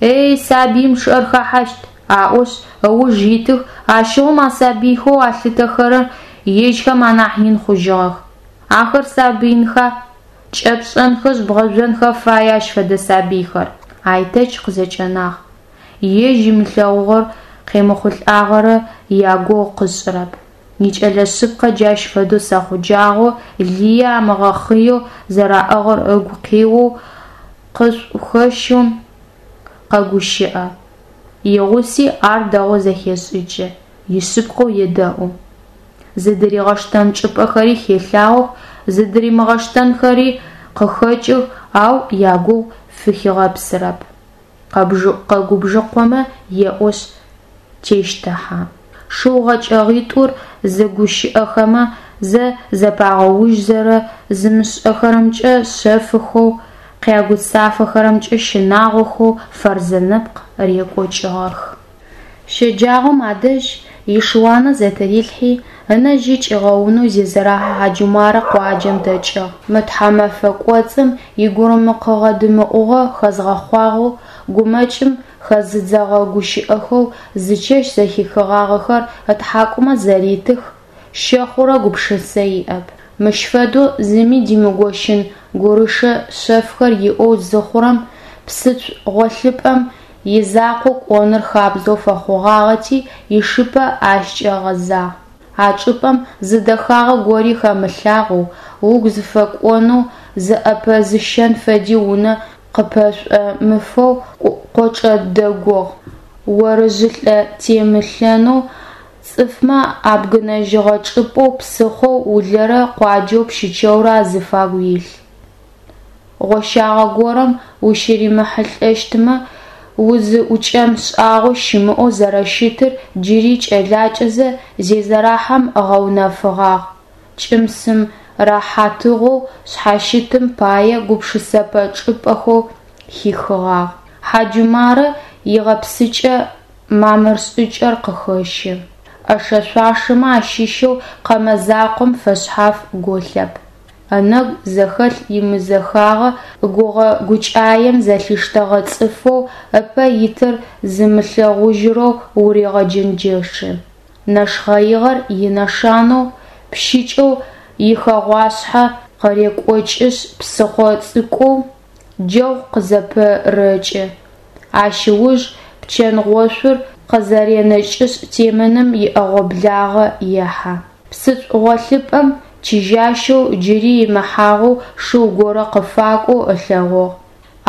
Эй, сабыим чъыӏэр хэхьащт, аӏошъ, ыуж итых, ащыгъум а сабыйхэу алъытэхэрэр ежьхэм анахь ин хъужьыгъэх. Ахэр сабыинха? Кӏэпшӏэнхэшъ бгъэжъонхэ фае ащ фэдэ сабыйхэр. Айтэч къызэкӏэнагъ. Ежь ымылъэгъугъэр къемыхъулӏагъэрэ ягугъу къышӏырэп. Икӏэлэ шъыпкъэ джащ фэдэу сэхъуджагъэу, лые амыгъэхъыеу зэраӏыгъыр ыгу къеоу, къышӏухэщэу къэгущыӏэ. Игъуси ар дэгъоу зэхешӏыкӏы, ишъыпкъэу едэӏу. Зыдыригъэштэн чӏыпӏэхэри хелъагъох, зыдыримыгъэштэнхэри къыхэкӏых, ау ягугъу фыхигъэпсырэп. Къэгубжыкъомэ еӏошъ, тещтыхьэ. Шыу гъэкӏэгъитӏур зэгущыӏэхэмэ, зэ зэпагъэужьзэрэ зымышӏэхэрэмкӏэ шъэфыхэу, къягуцафэхэрэмкӏэ щынагъохэу Фэрзэ нэпкъ рекӏокӏыгъэх. Щэджагъом адэжь ишыуанэ зэтырилъхьи, ынэ жьы кӏигъэунэу Зезэрахьэ Хьаджумарэ къуаджэм дэкӏыгъ. Мы тхьэмэфэ кӏоцӏым игурымыкъыгъэ-дымыӏугъэ хэзгъэхъуагъэу, гумэкӏым хэзыдзэгъэ гущыӏэхэу зычэщ зэхихыгъагъэхэр ытхьакӏумэ зэритых, щэхъурэ гупшысэ иӏэп. Мыщ фэдэу зыми димыгощын гурышэ шъэфхэр иӏэу зыхъурэм, псыцу гъолъыпӏэм изакъоу кӏоныр хабзэу фэхъугъагъэти, ишыпэ ащкӏэ гъэзагъ. А чӏыпӏэм зы дэхагъэ гори хэмылъагъоу, угу зыфэкӏонэу зыӏэпэзыщэн фэди унэ къыпэшӏомыфэу къочӏэ дэгугъ, орыжъылӏэ темылъэнэу цӏыфмэ абгынэжьыгъэ чӏыпӏэу псыхъоу Улэрэ къуаджэу Пщычэурэ азыфагу илъ. Гъощагъэ горэм ущыримыхьылӏэщтмэ, узыӏукӏэн шӏагъо щымыӏэу зэрэщытыр джыри кӏэлакӏэзэ Зезэрахьэм ыгъэунэфыгъагъ, кӏым-сым рэхьатыгъэу шъхьащытым пае гупшысэпэ чӏыпӏэхэу хихыгъагъ. Хьаджумарэ игъэпсыкӏэ мамыр шӏыкӏэр къыхэщы. ӏэшэ-шъуашэмэ ащыщэу къэмэ закъом фэшъхьаф голъэп. Ынэгу зэхэлъ имызэхагъэ гугъэ-гукӏаем зэлъиштэгъэ цӏыфэу ыпэ итыр зымылъэгъужьырэу урегъэджэнджэшы. Нэшхъэигъэр инэшанэу, пщыкӏэу ихэгъуашъхьэ къырекӏокӏышъ псыхъо цӏыкӏоу Джэгъу къызэпырэкӏы, ащ ыуж пчэнгъошъур къызэренэкӏышъ темэным иӏэгъо-благъэ ехьэ. Псыцу гъолъыпӏэм чыжьащэу джыри имыхьагъэу шыу горэ къыфакӏоу ылъэгъугъ.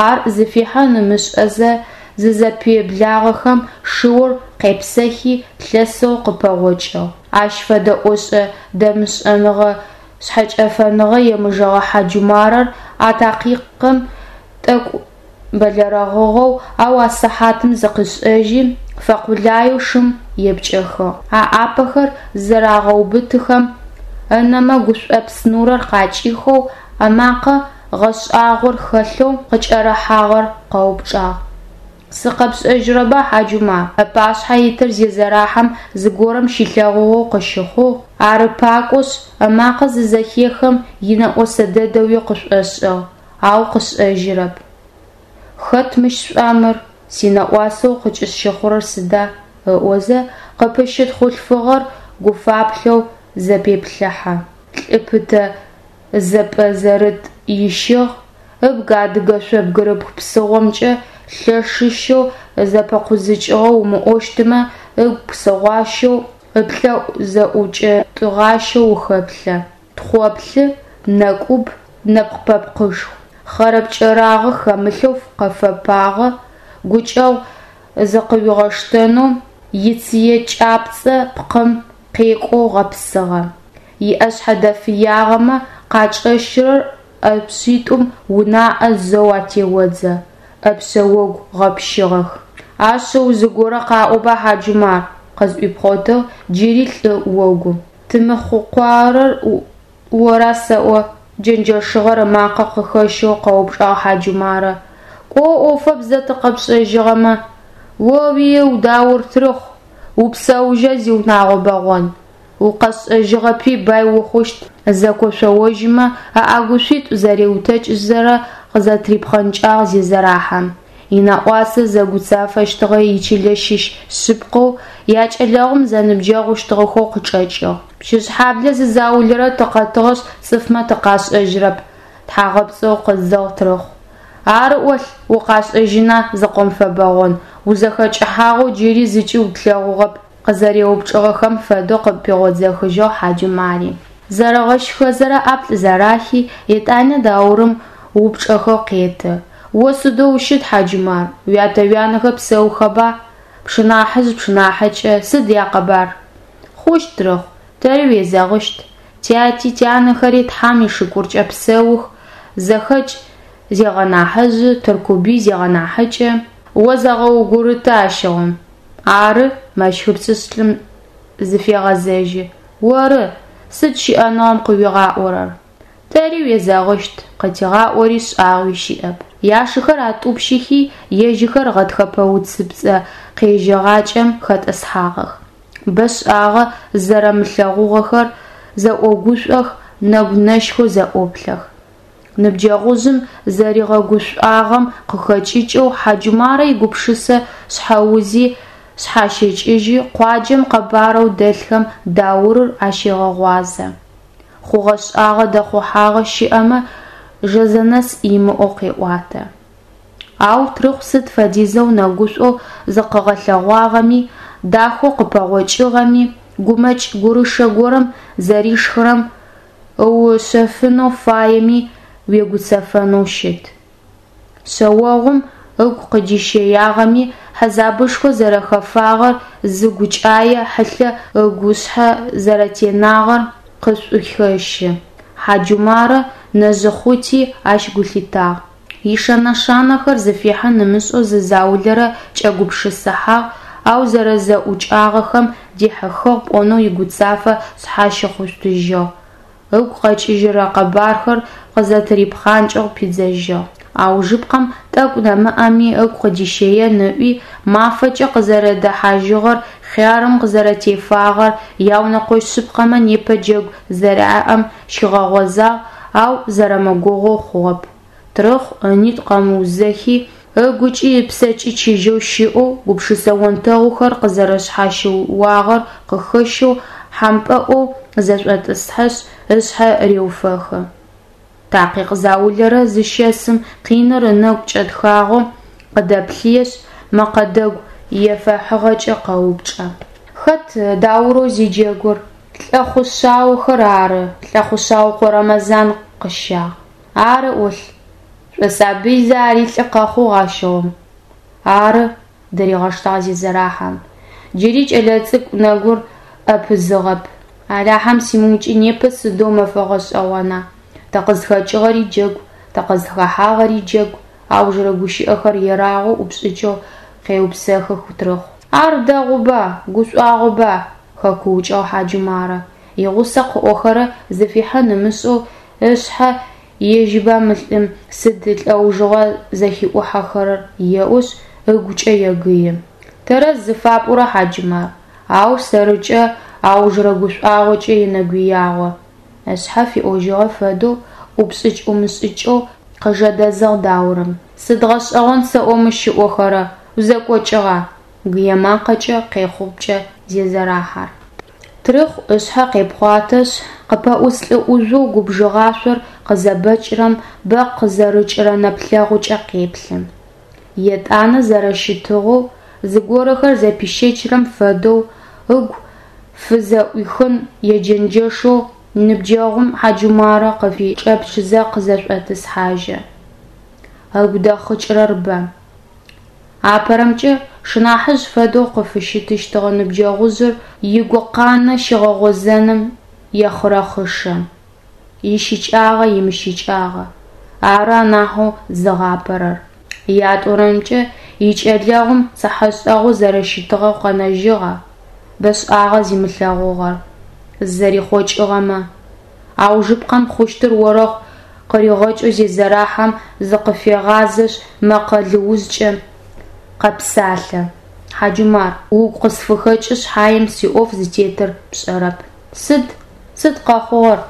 Ар зыфихьын ымышӏэзэ, зызэпэблагъэхэм шыур къепсыхи, лъэсэу къыпэгъокӏыгъ. Ащ фэдэ ошӏэ-дэмышӏэныгъэ шъхьэкӏэфэныгъэ емыжэгъэ Хьаджумарэр а такъикъым тӏэкӏу бэлэрэгъыгъэу, ау а сыхьатым зыкъишӏэжьи, фэкъулаеу шым епкӏэхыгъ. Аӏапэхэр зызэрагъэубытыхэм, ынэмэ гушӏопс нурэр къакӏихэу, ымакъэ гъэшӏагъор хэлъэу къыкӏэрыхьагъэр къэупчӏагъ. Сыкъэпшӏэжьырэба, Хьаджумар? Ыпашъхьэ итыр Зезэрахьэм зыгорэм щилъэгъугъэу къыщыхъугъ, ары пакӏошъ, ымакъэ зызэхехым инэӏосэ дэдэуи къышӏошӏыгъ, ау къышӏэжьырэп. Хэт мыщ шъуӏуа мыр, синэӏуасэу къыкӏысщыхъурэр сыда? ыӏозэ, къыпыщыт хъулъфыгъэр гуфаплъэу зэпеплъыхьэ. Лӏы пытэ зэпӏэзэрыт ищыгъ, ыбг адыгэ шъо бгырыпх псыгъомкӏэ лъэшыщэу зэпэкъузыкӏыгъэу умыӏощтмэ, ыгу псыгъуащэу, ыплӏэӏу зэӏукӏытӏыгъащэу ухэплъэ. Тхъоплъы, нэкӏуб, нэпкъ-пэпкъышху. Хъэрэпкӏэрагъэ хэмылъэу къэфэпагъэ, гукӏэгъу зыкъыуигъэштэнэу ицые кӏапцӏэ пкъым къекӏоу гъэпсыгъэ. Иӏэшъхьэ дэфыягъэмэ къачӏэщырэ ӏэпшъитӏум унаӏэ зэу атеодзэ, ӏэпшъэ огу гъэпщыгъэх. Ашъыу зыгорэ къаӏоба, Хьаджумар! къызӏуипхъотыгъ джыри лӏы огум. Тымыхъукъуарэр ора сэӏо? Джэнджэшыгъэр ымакъэ къыхэщэу къэупчӏагъ Хьаджумарэ. Кӏо ӏофэп зэ тыкъэпшӏэжьыгъэмэ. О-уиу, Даур Трыхъу, упсэужьа, зиунагъо бэгъон. Укъэсшӏэжьыгъэпи, бай ухъущт, зэкошъоожьымэ ыӏэгушъуитӏу зэриутэкӏызэ къызэтырипхъэнкӏагъ Зезэрахьэм. Инэӏуасэ зэгуцафэщтыгъэ ичылэ щыщ шъыпкъэу, якӏэлэгъум зэныбджэгъущтыгъэхэу къычӏэкӏыгъ. Пщыжъхьаблэ зы заулэрэ тыкъэтыгъэшъ, цӏыфмэ тыкъашӏэжьрэп, тхьагъэпцӏэу къыдзыгъ Трыхъу. Ары ӏолъ, укъашӏэжьына, зыкъомфэбэгъон, узэхэкӏыхьагъэу джыри зыкӏи тлъэгъугъэп, къызэреупчӏыгъэхэм фэдэу къыпигъодзыхыжьыгъ Хьаджумари. Зэрэгъэщхызэрэ ӏаплӏ зэрахи, етӏанэ Даурым упчӏэхэр къеты. О сыдэу ущыт, Хьаджумар, уятэ-уянэхэр псэухэба? Пшынахьыжъ, пшынахьыкӏэ сыд якъэбар? Хъущт, Трыхъу, тэри уезэгъыщт. Тяти, тянэхэри Тхьам ишыкуркӏэ псэух, зэхэкӏ зегъэнахьыжъы, Тыркубый зегъэнахьыкӏэ. О зэгъэугурыты ащыгъум. Ары, мэщхыпцӏышъ лӏым зыфегъэзэжьы, оры, сыд щыӏэныгъэм къыуигъаӏорэр? Тэри уезэгъыщт, къытигъаӏори шӏагъуи щыӏэп. Яшыхэр атӏупщыхи, ежьыхэр гъэтхэпэ уцыпцӏэ къежьэгъакӏэм хэтӏысхьагъэх. Бэшӏагъэ зызэрэмылъэгъугъэхэр, зэӏогушӏох, нэгу нэщхэу зэӏоплъэх. Ныбджэгъужъым зэригъэгушӏуагъэм къыхэкӏыкӏэу Хьаджумарэ игупшысэ шъхьэузи шъхьащэкӏыжьы, къуаджэм къэбарэу дэлъхэм Даурыр ащегъэгъуазэ. Хъугъэ-шӏагъэ дэхъухьагъэ щыӏэмэ, жэзэнэс имыӏэу къеӏуатэ. Ау Трыхъу сыд фэдизэу нэгушӏоу зыкъыгъэлъэгъуагъэми, дахэу къыпэгъокӏыгъэми, гумэкӏ-гурышэ горэм зэришхырэм ыушъэфынэу фаеми, уегуцэфэнэу щыт. Шъэогъум ыгу къыдищэягъэми, хьазабышхо зэрэхэфагъэр, зы гукӏае хьылъэ ыгушъхьэ зэрэтенагъэр къышӏухещы. Хьаджумарэ нэжъ-ӏухъути ащ гу лъитагъ. Ишэн-нэшанэхэр зыфихьын ымышӏэу зы заулэрэ кӏэгупшысыхьагъ, ау зэрэзэӏукӏагъэхэм дихьыхыгъ пӏонэу игуцафэ шъхьащихъутыжьыгъ, ыгу къэкӏыжьырэ къэбархэр къызэтырипхъанкӏэу пидзэжьыгъ. Аужыпкъэм, тӏэкӏу нэмыӏэми ыгу къыдищэен ыӏуи, мафэкӏэ къызэрэдэхьажьыгъэр, хъярым къызэрэтефагъэр, яунэкъощ шъыпкъэмэ непэ джэгу зэряӏэм щигъэгъозагъ, ау зэрэмыгугъоу хъугъэп. Трыхъу ынитӏу къэмыузэхи, ыгукӏи ыпсэкӏи чыжьэу щыӏэу, гупшысэ онтэгъухэр къызэрэшъхьащыуагъэр къыхэщэу, хьампӏэӏоу зэшӏотӏысхьэшъ, ышъхьэ реуфэхы. Такъикъ заулэрэ зыщэсым къиныр ынэгу кӏэтхагъэу къыдэплъыешъ, мэкъэ дэгу ефэхыгъэкӏэ къэупчӏэ. Хэт Даурэу зиджэгур? Лӏэхъусэжъхэр ары, Лӏэхъусэжъыкъо Рэмэзан къыщагъ. Ары ӏолъ. Шӏосабыйзэ ари лӏы къэхъугъ ащыгъум. Ары, дыригъэштагъ Зезэрахьэм. Джыри кӏэлэцӏыкӏу нэгур ӏэпызыгъэп. Алахьэм симыукӏи непэ сыдэу мэфэ гъэшӏэгъона. Тыкъызхэкӏыгъэри джэгу, тыкъызхэхьагъэри джэгу, аужырэ гущыӏэхэр ерагъэу ӏупшӏыкӏэу къеупсэхых Трыхъу. Ар дэгъуба, гушӏуагъоба! хэкуукӏыгъ Хьаджумарэ. Игъусэ къыӏохэрэр зыфихьын ымышӏэу ышъхьэ ежьыба мы лӏым сыд лӏэужыгъуа зэхиӏухьэхэрэр еӏошъ, ыгукӏэ егые. Тэрэз зыфапӏорэр, Хьаджумар, ау сэрыкӏэ аужырэ гушӏуагъокӏэ енэгуягъо, ышъхьэ фиӏожьыгъэ фэдэу ӏупшӏыкӏ-ӏумышӏыкӏэу къыжэдэзыгъ Даурым. Сыд гъэшӏэгъон сэӏо мыщ ыӏохэрэр, узэкӏокӏыгъа? Гые макъэкӏэ къехъупкӏэ Зезэрахьэр. Трыхъу ышъхьэ къепхъуатэшъ, къыпэӏус лӏы ӏужъоу губжыгъашъор къызэбэкӏырэм бэ къызэрыкӏырэ нэплъэгъукӏэ къеплъы. Етӏанэ зэрэщытыгъэу, зыгорэхэр зэпищэчрэм фэдэу, ыгу фызэӏуихын еджэнджэшэу ныбджэгъум Хьаджумарэ къыфычӏэплъызэ къызэшӏотӏысхьажьы. Ыгу дэхъыкӏырэр бэ. Апэрэмкӏэ, шынахьыжъ фэдэу къыфыщытыщтыгъэ ныбджэгъужъыр игукъанэ щигъэгъозэным ехъырэхъышэ. Ищыкӏагъа, имыщыкӏагъа? Ары анахьэу зыгъапэрэр. Ятӏонэрэмкӏэ, икӏэлэгъум цыхьэшӏэгъоу зэрэщытыгъэу къэнэжьыгъа, бэшӏагъэ зимылъэгъугъэр, зызэрихъокӏыгъэмэ? Аужыпкъэм хъущтыр орэхъу къыригъэкӏэу Зезэрахьэм зыкъыфегъазэшъ, мэкъэ лыузкӏэ къэпсалъэ: Хьаджумар, угу къысфыхэкӏы шъхьаем сиӏоф зытетыр пшӏэрэп. Сыд? Сыд къэхъугъэр?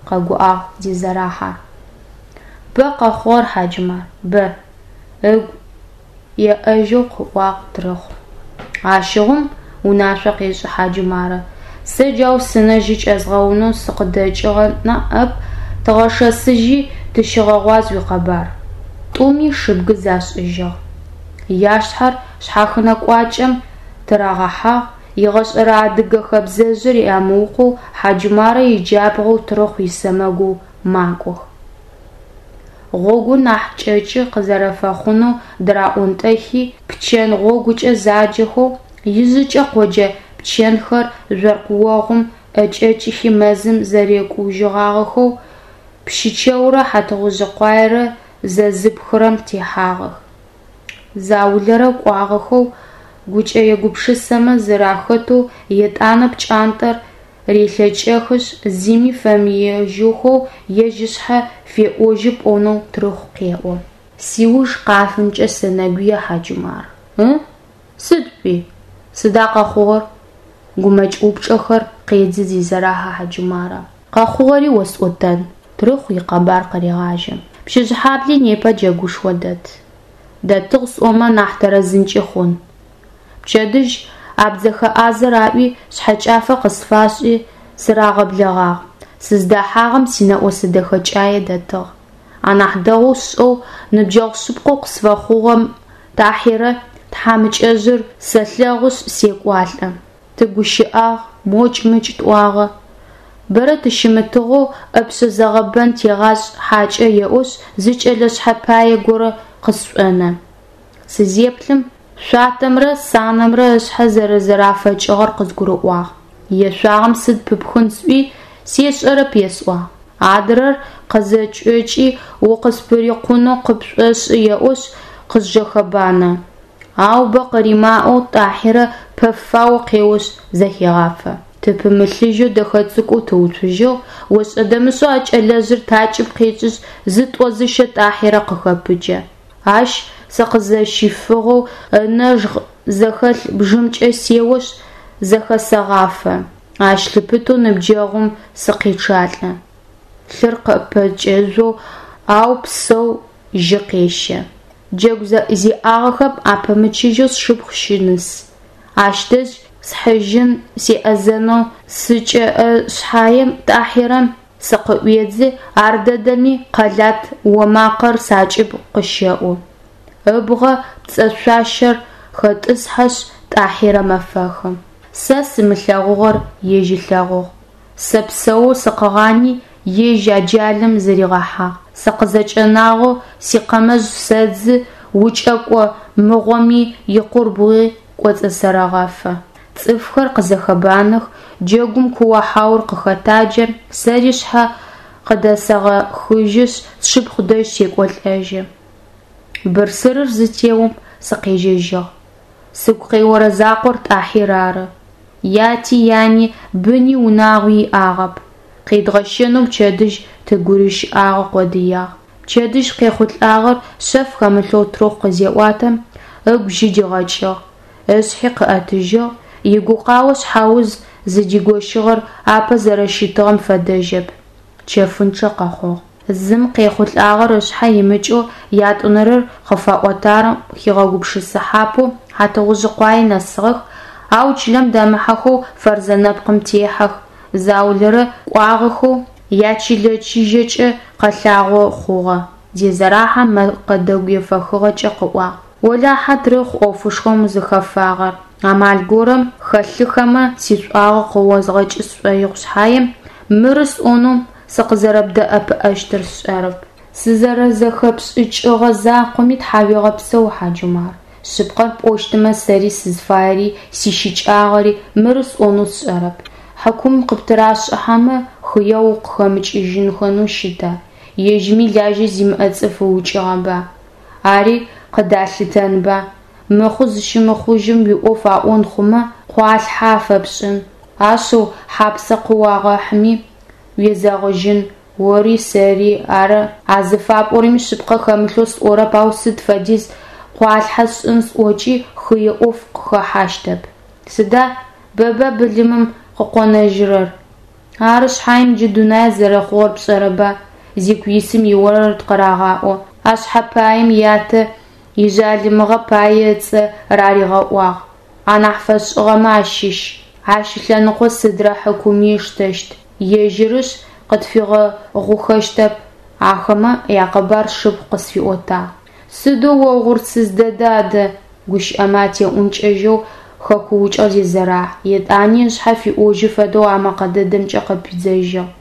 къэгуӏагъ Зезэрахьэр. Бэ къэхъугъэр, Хьаджумар, бэ, ыгу еӏэжьэу къыӏуагъ Трыхъу. Ащыгъум, унашъо къешӏы Хьаджумарэ, сэ джау сынэ жьы кӏэзгъэунэу сыкъыдэкӏыгъэ ныӏэп, тыгъэшэсыжьи, тыщыгъэгъуаз уикъэбар. Тӏуми шыбгы зашӏыжьыгъ. Яшхэр шъхьахынэ кӏуачӏэм тырагъэхьагъ, егъэшӏэрэ адыгэ хэбзэжъыр ямыукъоу Хьаджумарэ иджабгъоу Трыхъу исэмэгоу макӏох. Гъогур нахь кӏэкӏы къызэрэфэхъунэу дыраӏонтӏэхи, пчэн гъогукӏэ заджэхэу, ижъыкӏэ къоджэ пчэнхэр жъоркъ огъум ӏэкӏэкӏыхи мэзым зэрекӏужьыгъагъэхэу, Пщычэурэ Хьатыгъужъыкъуаерэ зэзыпхырэм техьагъэх. Заулэрэ кӏуагъэхэу, гукӏэе-гупшысэмэ зэрахэтэу етӏанэ пкӏантӏэр релъэкӏэхышъ, зыми фэмыежьхэу ежь ышъхьэ феӏожьы пӏонэу Трыхъу къеӏо. Сиуж къафынкӏэ сенэгуе, Хьаджумар. Ы? Сыд пӏуи? Сыда къэхъугъэр? Гумэкӏ упчӏэхэр къедзы Зезэрахьэ Хьаджумарэ. Къэхъугъэри осӏотэн, Трыхъу икъэбар къырегъажьэ. Пщыжъхьабли непэ джэгушхо дэт. Дэтыгъ сӏомэ нахь тэрэзынкӏи хъун. Пчэдыжь абдзэхэ ӏазэр аӏуи, шъхьэкӏафэ къысфашӏи, сырагъэблэгъагъ. Сыздэхьагъэм синэӏосэ дэхэкӏае дэтыгъ. Анахь дэгъоу сшӏэу, ныбджэгъу шъыпкъэу къысфэхъугъэ Тӏахьирэ тхьамыкӏэжъыр сэлъэгъушъ, секӏуалӏэ. Тыгущыӏагъ, мокӏ-мыкӏ тӏуагъэ. Бэрэ тыщымытыгъэу ӏэпшъэ зэгъэбэн тегъашӏ хьакӏэ еӏошъ, зы кӏэлэ шъхьэпае горэ къысшӏонэ. Сызеплъым, шъуатэмрэ санэмрэ ышъхьэ зэрэзэрафэкӏыгъэр къызгурыӏуагъ. Ешъуагъэм сыд пыпхын сӏуи, сешӏэрэп есӏуагъ. Адрэр къызэкӏэкӏи, укъыспырикъунэу къыпшӏошӏы еӏошъ, къызжэхэбанэ. Ау бэ къыримыӏоу Тӏахьирэ пэфао къеошъ зэхегъафэ. Тыпымылъыжьэу дэхэ цӏыкӏоу тыуцужьыгъ, ошӏэ-дэмышӏэу а кӏэлэжъыр такӏыб къекӏышъ, зытӏо-зыщэ Тӏахьирэ къыхэпыджэ. Ащ сыкъызэщифыгъэу ынэжгъ зэхэлъ бжымкӏэ сеошъ, зэхэсэгъафэ. Ащ лъыпытэу ныбджэгъум сыкъечъалӏэ. Лъыр къыпэкӏэжъоу, ау псэу жьы къещэ. Джэгу зиӏагъэхэм апэмычыжьэу сшыпхъу щыныс. Ащ дэжь схьыжьын, сеӏэзэнэу сыкӏэӏэ шъхьаем, Тӏахьирэ сыкъыӏуедзы, ардэдэми къэлат омакъэр сакӏыб къыщэӏу. Ыбгъэ пцэшӏуащэр хетӏысхьэшъ, Тӏахьирэ мэфэхы. Сэ сымылъэгъугъэр ежь ылъэгъугъ. Сэ псэоу сыкъыгъани, ежь аджалым зыригъэхьагъ. Сыкъызэкӏэнагъэу сикъэмэжъ сэдзы, укӏэкӏо мыгъоми икъурбгъуи кӏоцӏысэрэгъэфэ. Цӏыфхэр къызэхэбанэх, джэгум куо-хьаур къыхэтаджэ, сэри сшъхьэ къыдэсэгъэхыжьышъ, сшыпхъу дэжь секӏолӏэжьы. Бырсырыр зытеом, сыкъежьэжьыгъ. Сыгу къеорэ закъор Тӏахьир ары. Яти, яни, быни унагъуи иӏагъэп. Къедгъэщэнэу пчэдыжь тыгурыщыӏагъэ къодыягъ. Пчэдыжь къехъулӏагъэр шъэф хэмылъэу Трохъу къызеӏуатэм, ыгу жьы дигъэкӏыгъ, ышъхьи къыӏэтыжьыгъ, игукъао шъхьэуз зыдигощыгъэр апэ зэрэщытыгъэм фэдэжьэп, чэфынчъэ къэхъугъ. Зым къехъулӏагъэр ышъхьэ имыкӏэу ятӏонэрэр къыфаӏотагъэм хигъэгупшысыхьапэу Хьатыгъужъыкъуае нэсыгъэх, ау чылэм дэмыхьэхэу Фэрзэ нэпкъым техьэх, заулэрэ кӏуагъэхэу ячылэ чыжьэкӏэ къэлъагъо хъугъэ, Зезэрахьэм мэкъэ дэгу ефэхыгъэкӏэ къыӏуагъ. Олахьэ, Трыхъу, ӏофышхом узыхэфагъэр. Амал горэм хэлъыхэмэ, сишӏуагъэ къыозгъэкӏы сшӏоигъу шъхьаем, мыры сӏонэу сыкъызэрэбдэӏэпыӏэщтыр сшӏэрэп. Сызэрэзэхэпшӏыкӏыгъэ закъоми тхьауегъэпсэу, Хьаджумар. Шъыпкъэр пӏощтмэ, сэри сызфаери, сищыкӏагъэри мыры сӏонэу сшӏэрэп. Хьыкум къыптырашӏыхьэмэ, хыеу укъыхэмыкӏыжьыхэнэу щыта, ежьыми лажьэ зимыӏэ цӏыф ыукӏыгъэба? Ари къыдалъытэнба? Мыхъу зыщымыхъужьым уиӏоф аӏон хъумэ, къуалъхьэ афэпшӏын. Ашъыу, хьапсэ къыуагъэхьыми. Уезэгъыжьын, ори сэри ары. А зыфапӏорэми шъыпкъэ хэмылъэу сӏорэп, ау сыд фэдиз къуалъхьэ сшӏын сӏокӏи, хые ӏоф къыхэхьащтэп. Сыда, бэба былымым къыкъонэжьырэр? Ары шъхьаем джы дунаир зэрэхъугъэр пшӏэрэба, зику исым иорэд къырагъаӏо. А шъхьэпаим ятэ ижъалымыгъэ пае ыцӏэ раригъэӏуагъ. Анахь фэшӏыгъэмэ ащыщ. Ащ ылъэныкъо сыдрэ хьыкуми ыштэщт. Ежьырышъ, къытфигъэгъухэщтэп. Ахэмэ якъэбар сшыпхъу къысфиӏотагъ. Сыдэу уогъурсыз дэда адэ, гущыӏэмэ атеӏункӏэжьэу хэкуукӏыгъ Зезэрахь, етӏани ышъхьэ фиӏожьы фэдэу а мэкъэ дэдэмкӏэ къыпидзэжьыгъ.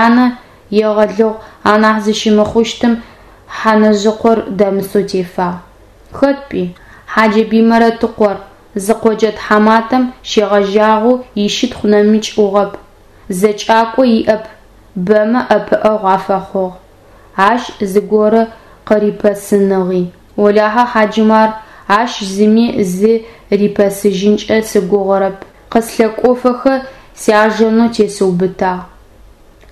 Янэ егъэлыгъу анахь зыщымыхъущтым Хьанэжъыкъор дэмысэу тефагъ. Хэт пӏуи? Хьаджэбый Мэрэтыкъор, зы къоджэ тхьаматэм щегъэжьагъэу ищытхъу нэмыкӏ ӏугъэп, зэкӏакӏо иӏэп, бэмэ ӏэпыӏэгъу афэхъугъ. Ащ зыгорэ къырипэсыныгъи. Олахьэ, Хьаджумар, ащ зыми зи рипэсыжьынкӏэ сыгугъэрэп. Къыслъэкӏофэхэ сяжэнэу тесыубытагъ.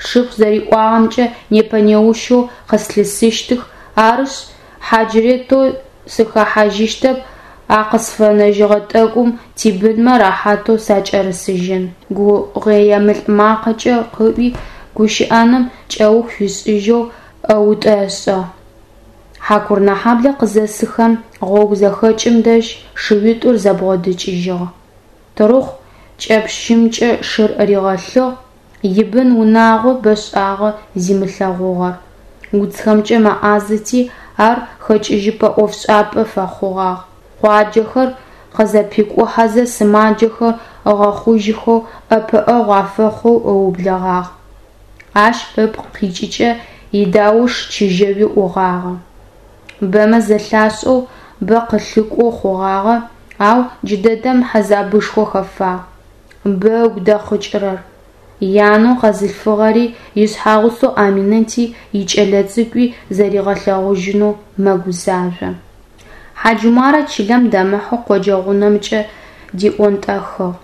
Сшыпхъу зэриӏуагъэмкӏэ, непэ-неущэу къыслъысыщтых, арышъ, хьаджрэтэу сыхэхьажьыщтэп, а къысфэнэжьыгъэ тӏэкӏум тибынмэ рэхьатэу сакӏэрысыжьын. Гугъуемылӏ макъэкӏэ къыӏуи, гущыӏэным кӏэух фишӏыжьэу ӏэутӏэ ышӏыгъ. Хьакурынэхьаблэ къызэсыхэм, гъогу зэхэкӏым дэжь шыуитӏур зэбгъодэкӏыжьыгъ. Тырыхъу кӏэпщымкӏэ шыр ригъэлъыгъ, ибын-унагъо бэшӏагъэ зимылъэгъугъэр. Уцхэмкӏэ мэӏазэти, ар хэкӏыжьыпӏэ ӏофшӏапӏэ фэхъугъагъ. Къуаджэхэр къызэпикӏухьэзэ сымаджэхэр ыгъэхъужьыхэу, ӏэпыӏэгъу афэхъоу ыублэгъагъ. Ащ ыпкъ къикӏыкӏэ идауш чыжьэуи ӏугъагъэ. Бэмэ зэлъашӏэу, бэ къылъыкӏоу хъугъагъэ, ау джыдэдэм хьэзабышхо хэфагъ. Бэ ыгу дэхъыкӏырэр. Янэу къэзылъфыгъэри, ишъхьэгъусэу Аминэти, икӏэлэцӏыкӏуи зэригъэлъэгъужьынэу мэгузажъо. Хьаджумарэ чылэм дэмыхьэу къоджэ гъунэмкӏэ диӏонтӏэхыгъ.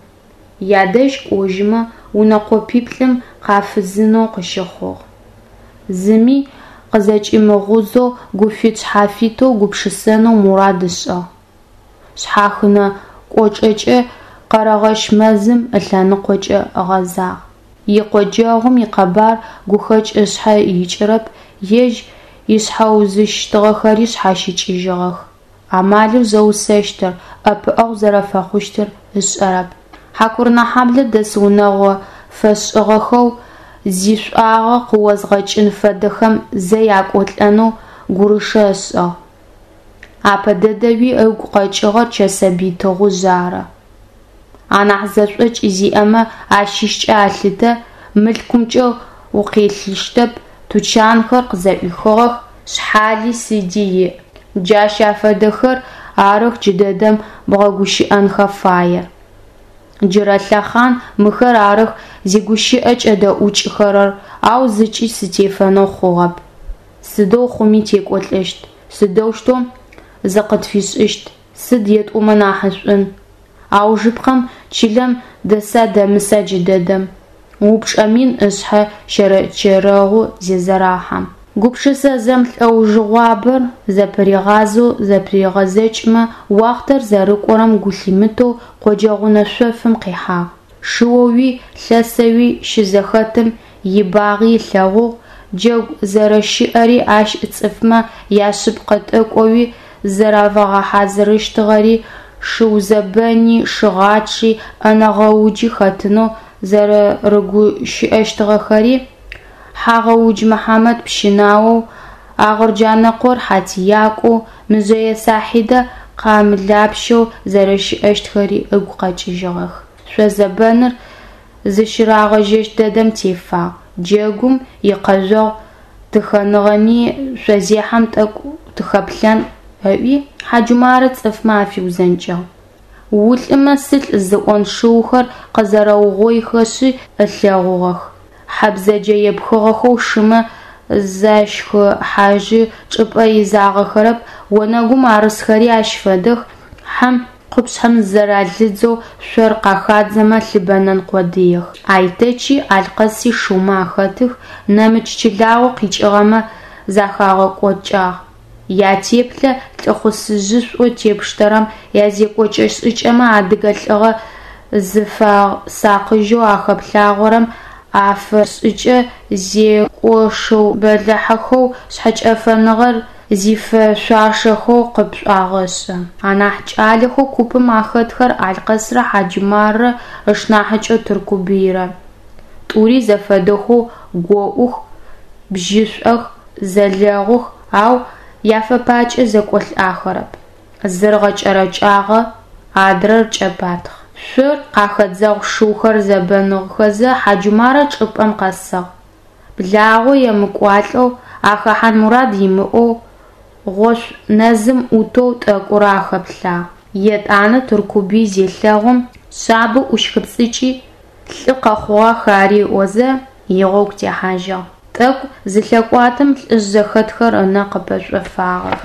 Ядэжь кӏожьымэ, унэ къопиплӏым къафызынэу къыщыхъугъ. Зыми къызэкӏимыгъузэу гуфит-шъхьафитэу гупшысэнэу мурад ышӏыгъ. Шъхьахынэ кӏочӏэкӏэ Къэрэгъэщ мэзым ылъэныкъокӏэ ыгъэзагъ. Икъоджэгъум икъэбар гухэкӏ ышъхьэ икӏырэп, ежь ишъхьэузыщтыгъэхэри шъхьащыкӏыжьыгъэх. Амалэу зэусэщтыр, ӏэпыӏэгъу зэрэфэхъущтыр ышӏэрэп. Хьакурынэхьаблэ дэс унэгъо фэшӏыгъэхэу зишӏуагъэ къыозгъэкӏын фэдэхэм зэ якӏолӏэнэу гурышэ ышӏыгъ. Апэ дэдэуи ыгу къэкӏыгъэр Чэсэбый Тыгъужъ ары. Анахь зэшӏокӏ зиӏэмэ ащыщкӏэ алъытэ, мылъкумкӏэ укъелыщтэп, тучанхэр къызэӏуихыгъэх, шъхьали сыди иӏ. Джащ афэдэхэр арых джыдэдэм бгъэгущыӏэнхэ фаер. Джырэ лъэхъан мыхэр арых зигущыӏэ кӏэдэӏукӏыхэрэр, ау зыкӏи сытефэнэу хъугъэп. Сыдэу хъуми текӏолӏэщт, сыдэущтэу зыкъытфишӏыщт, сыд етӏомэ нахьышӏун? Аужыпкъэм чылэм дэса-дэмыса джыдэдэм? Упчӏэ мин ышъхьэ щэрэчэрэгъу зезэрэхьэм. Гупшысэ зэмлӏэужыгъуабэр зэпыригъазэу зэпыригъэзэкӏымэ, уахътэр зэрэкӏорэм гу лъимытэу къоджэ гъунэ шъофым къихьагъ. Шыоуи лъэсэуи щызэхэтым ибагъи ылъэгъугъ, джэгу зэрэщыӏэри, ащ цӏыфмэ яшъыпкъэ тӏэкӏоуи зэрафагъэхьазырыщтыгъэри, шыузэбэни, шыгъачъи, ӏэнэ гъэуджи хэтынэу зэрэрыгущыӏэщтыгъэхэри, Хьагъэудж Мыхьамэт пщынаоу, Агъырджанэкъор хьатиякӏоу, Мыжъэе Сахьидэ къамылапщэу зэрэщыӏэщтхэри ыгу къэкӏыжьыгъэх. Шъозэбэныр зыщырагъэжьэщт дэдэм тефагъ. Джэгум икъэжъогъу тыхэныгъэми, шъозехьэм тӏэкӏу тыхэплъэн, ыӏуи, Хьаджумарэ цӏыфмэ афиузэнкӏыгъ. Улӏымэ сылӏ зыӏон шыухэр къэзэрэугъоихэшъы ылъэгъугъэх. Хьэ бзэджэ епхыгъэхэу шымэ защхыхьажьы чӏыпӏэ изагъэхэрэп, онэгум арысхэри ащ фэдэх, хьэм Къупшъхьэм зыралыдзэу шъор къахадзэмэ лъыбэнэн къодыех. Айтэчи Алъкъэси шыумэ ахэтых, нэмыкӏ чылагъо къикӏыгъэмэ захагъэкӏокӏагъ. Ятеплъэ лӏыхъусыжъышӏоу тепштэрэм, язекӏокӏэ-шӏыкӏэмэ адыгэ лӏыгъэ зыфэсакъыжьэу ахэплъагъорэм афэшӏыкӏэ зекӏошыу бэлахьыхэу, шъхьэкӏэфэныгъэр зифэшъуашэхэу къыпшӏуагъэшӏы. Анахь кӏалэхэу купым ахэтхэр Алъкъэсрэ Хьаджумаррэ ышнахьыкӏэу Тыркубыйрэ. Тӏури зэфэдэхэу гоӏух, бжьышӏох, зэлэгъух, ау яфэпакӏэ зэкӏолӏахэрэп. Зыр гъэкӏэрэкӏагъэ, адрэр кӏэпатхъ. Шъор къахэдзэгъу шыухэр зэбэныгъэхэзэ, Хьаджумарэ чӏыпӏэм къэсыгъ. Благъэу емыкӏуалӏэу, ахэхьан мурад имыӏэу, гъошъу нэзым ӏутэу тӏэкӏурэ ахэплъагъ. Етӏанэ Тыркубый зелъэгъум, шъабэу ӏущхыпцӏыкӏи, лӏы къэхъугъах ари ыӏозэ, игъогу техьажьыгъ. Тӏэкӏу зылъэкӏуатэм лӏыжъ зэхэтхэр ынэ къыпэшӏофагъэх.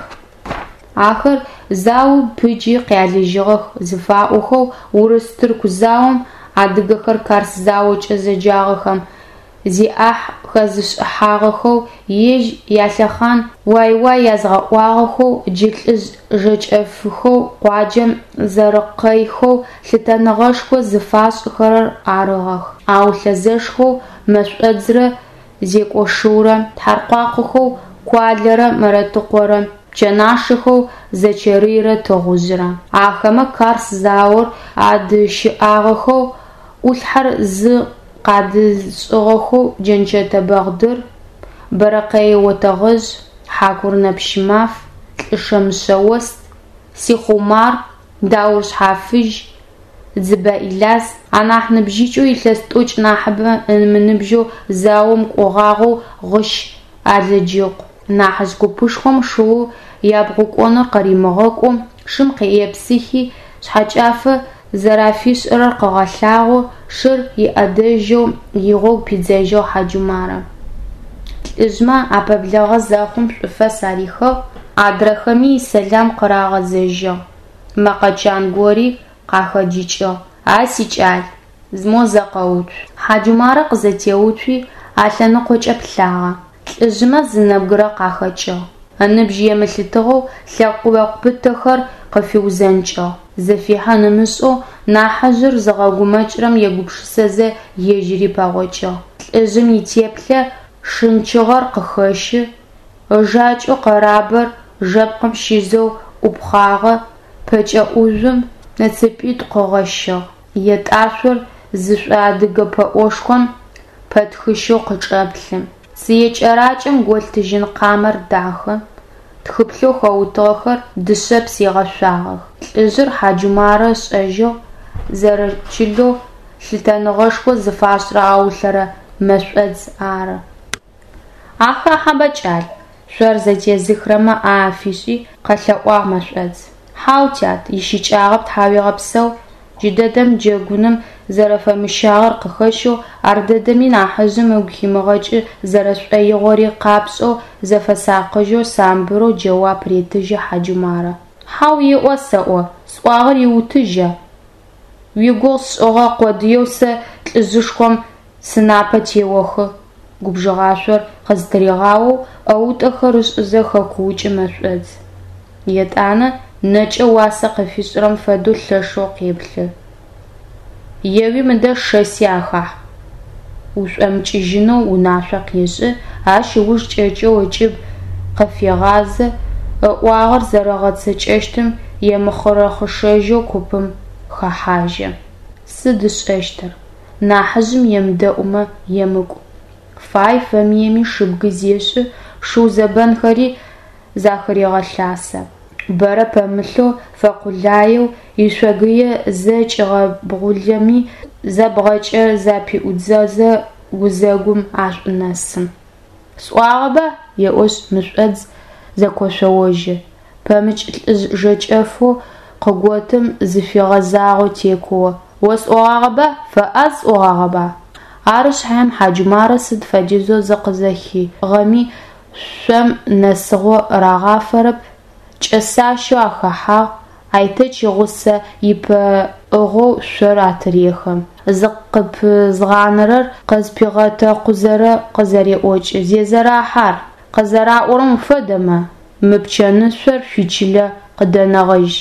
Ахэр заом пыджи къялыжьыгъэх зыфаӏохэу урыс-тырку заом, адыгэхэр Карс заокӏэ зэджагъэхэм, зиӏахь хэзышӏыхьагъэхэу, ежь ялъэхъан уай-уай язгъэӏуагъэхэу, джы лӏыжъ жэкӏэфыхэу къуаджэм зэрэкъэйхэу лъытэныгъэшхо зыфашӏыхэрэр арыгъэх. Аулъэ зэшхэу Мэшӏодзрэ Зекӏошыурэ, Тхьаркъуахъохэу Куалэрэ Мэрэтыкъорэ, Пчэнашэхэу Зэчэрыйрэ Тыгъужъырэ. Ахэмэ Карс заор адыщыӏагъэхэу, ӏулъхьэр зы къадызышӏыгъэхэу Джэнчэтэ Бэгъдыр, Бэрэкъэе Отэгъэжъ, Хьакурынэ Пщымаф, Лӏышэ Мышъэост, Сихъу Умар, Даур Шъхьафыжь, Дзыбэ Иляс, анахь ныбжьыкӏэу илъэс тӏокӏ нахьыбэ ымыныбжьэу заом кӏогъагъэу Гъыщ Алыджыкъу. Нахьыжъ купышхом шыоу ябгъукӏоныр къыримыгъэкӏоу, шым епсыхи, шъхьэкӏафэ зэрафишӏырэр къыгъэлъагъоу, шыр иӏэдэжьэу игъогу пидзэжьыгъ Хьаджумарэ. Лӏыжъмэ апэблагъэ зэхъум шӏуфэс арихыгъ, адрэхэми исэлам къырагъэзэжьыгъ. Мэкъэ чан гори къахэджыкӏыгъ: А сикӏал, мо зэ къэуцу. Хьаджумарэ къызэтеуцуи, алъэныкъокӏэ плъагъэ. Лӏыжъмэ зы нэбгырэ къахэкӏыгъ. Ыныбжь емылъытыгъэу лъэкъо пытэхэр къыфиузэнкӏыгъ. Зыфихьын ымышӏэу нахьыжъыр зыгъэгумэкӏырэм егупшысэзэ ежьыри пэгъокӏыгъ. Лӏыжъым итеплъэ шынчыгъэр къыхэщы, ыжакӏэу къэрабэр жэпкъым щизэу ӏупхъагъэ, пэкӏэ ӏужъум ыцыпитӏу къыгъэщыгъ, етӏашъор зышӏоадыгэ пэӏошхом пэтхыщэу къычӏэплъы. Цые кӏэракӏэм голъ тыжьын къамэр дахэ, тхыпхъэу хэутыгъэхэр дышъэпс егъэшъуагъэх. Лӏыжъыр Хьаджумарэ ышӏэжьыгъ, зэрэчылэу лъытэныгъэшхо зыфашӏырэ Аулъэ Мэшӏодз ары. Ахахьэба, кӏал, шъор зэтезыхрэмэ ӏэ афишӏи, къэлъэӏуагъ Мэшӏодз. Хьау, тят, ищыкӏагъэп, тхьауегъэпсэу, джыдэдэм джэгуным зэрэфэмыщагъэр къыхэщэу, ардэдэми нахьыжъым ыгу химыгъэкӏы зэрэшӏоигъори къапшӏэу, зыфэсакъыжьэу самбырэу джэуап ретыжьы Хьаджумарэ. Хьау еӏо сэӏо, сӏуагъэр иутыжьа? Уигугъу сшӏыгъэ къодыеу сэ лӏыжъышхом сынапэ теохы, губжыгъашъор къызтыригъаоу ӏэутӏэхэр ышӏызэ хэкуукӏы Мэшӏодз. Етӏанэ нэкӏэ уасэ къыфишӏырэм фэдэу лъэшэу къеплъы. Еуи мыдэ шэси ахахь! Ушӏомыкӏыжьынэу унашъо къешӏы, ащ ыуж кӏэкӏэу ыкӏыб къыфегъазэ, ыӏуагъэр зэрэгъэцэкӏэщтым емыхъырэхъышэжьэу купым хэхьажьы. Сыд ышӏэщтыр? Нахьыжъым емыдэӏумэ, емыкӏу. Фай-фэмыеми шыбгы зешӏы, шыу зэбэнхэри захырегъэлъасэ. Бэрэ пэмылъэу, фэкъулаеу, ишъогые зэ кӏигъэбгъулэми, зэ бгъэкӏэ запиӏудзэзэ, гузэгум ашӏунэсы. Сӏуагъэба, еӏошъ Мэшӏодз зэкошъоожьы, пэмыкӏ лӏыжъ жэкӏэфэу къыготым зыфигъэзагъэу текуо: Осӏогъагъэба, фэӏаз сӏогъагъэба? Ары шъхьаем Хьаджумарэ сыд фэдизэу зыкъызэхигъэми, шъом нэсыгъо рагъафэрэп, кӏэсащэу ахэхьагъ. Айтэч игъусэ ипэӏыгъэу шъор атырехы. Зыкъыпызгъанэрэр къызпигъэтэкъузэ къызэреӏокӏы: Зезэрахь ар! Къызэраӏорэм уфэдэмэ, мы пчэнышъор шъуичылэ къыдэнэгъэжь.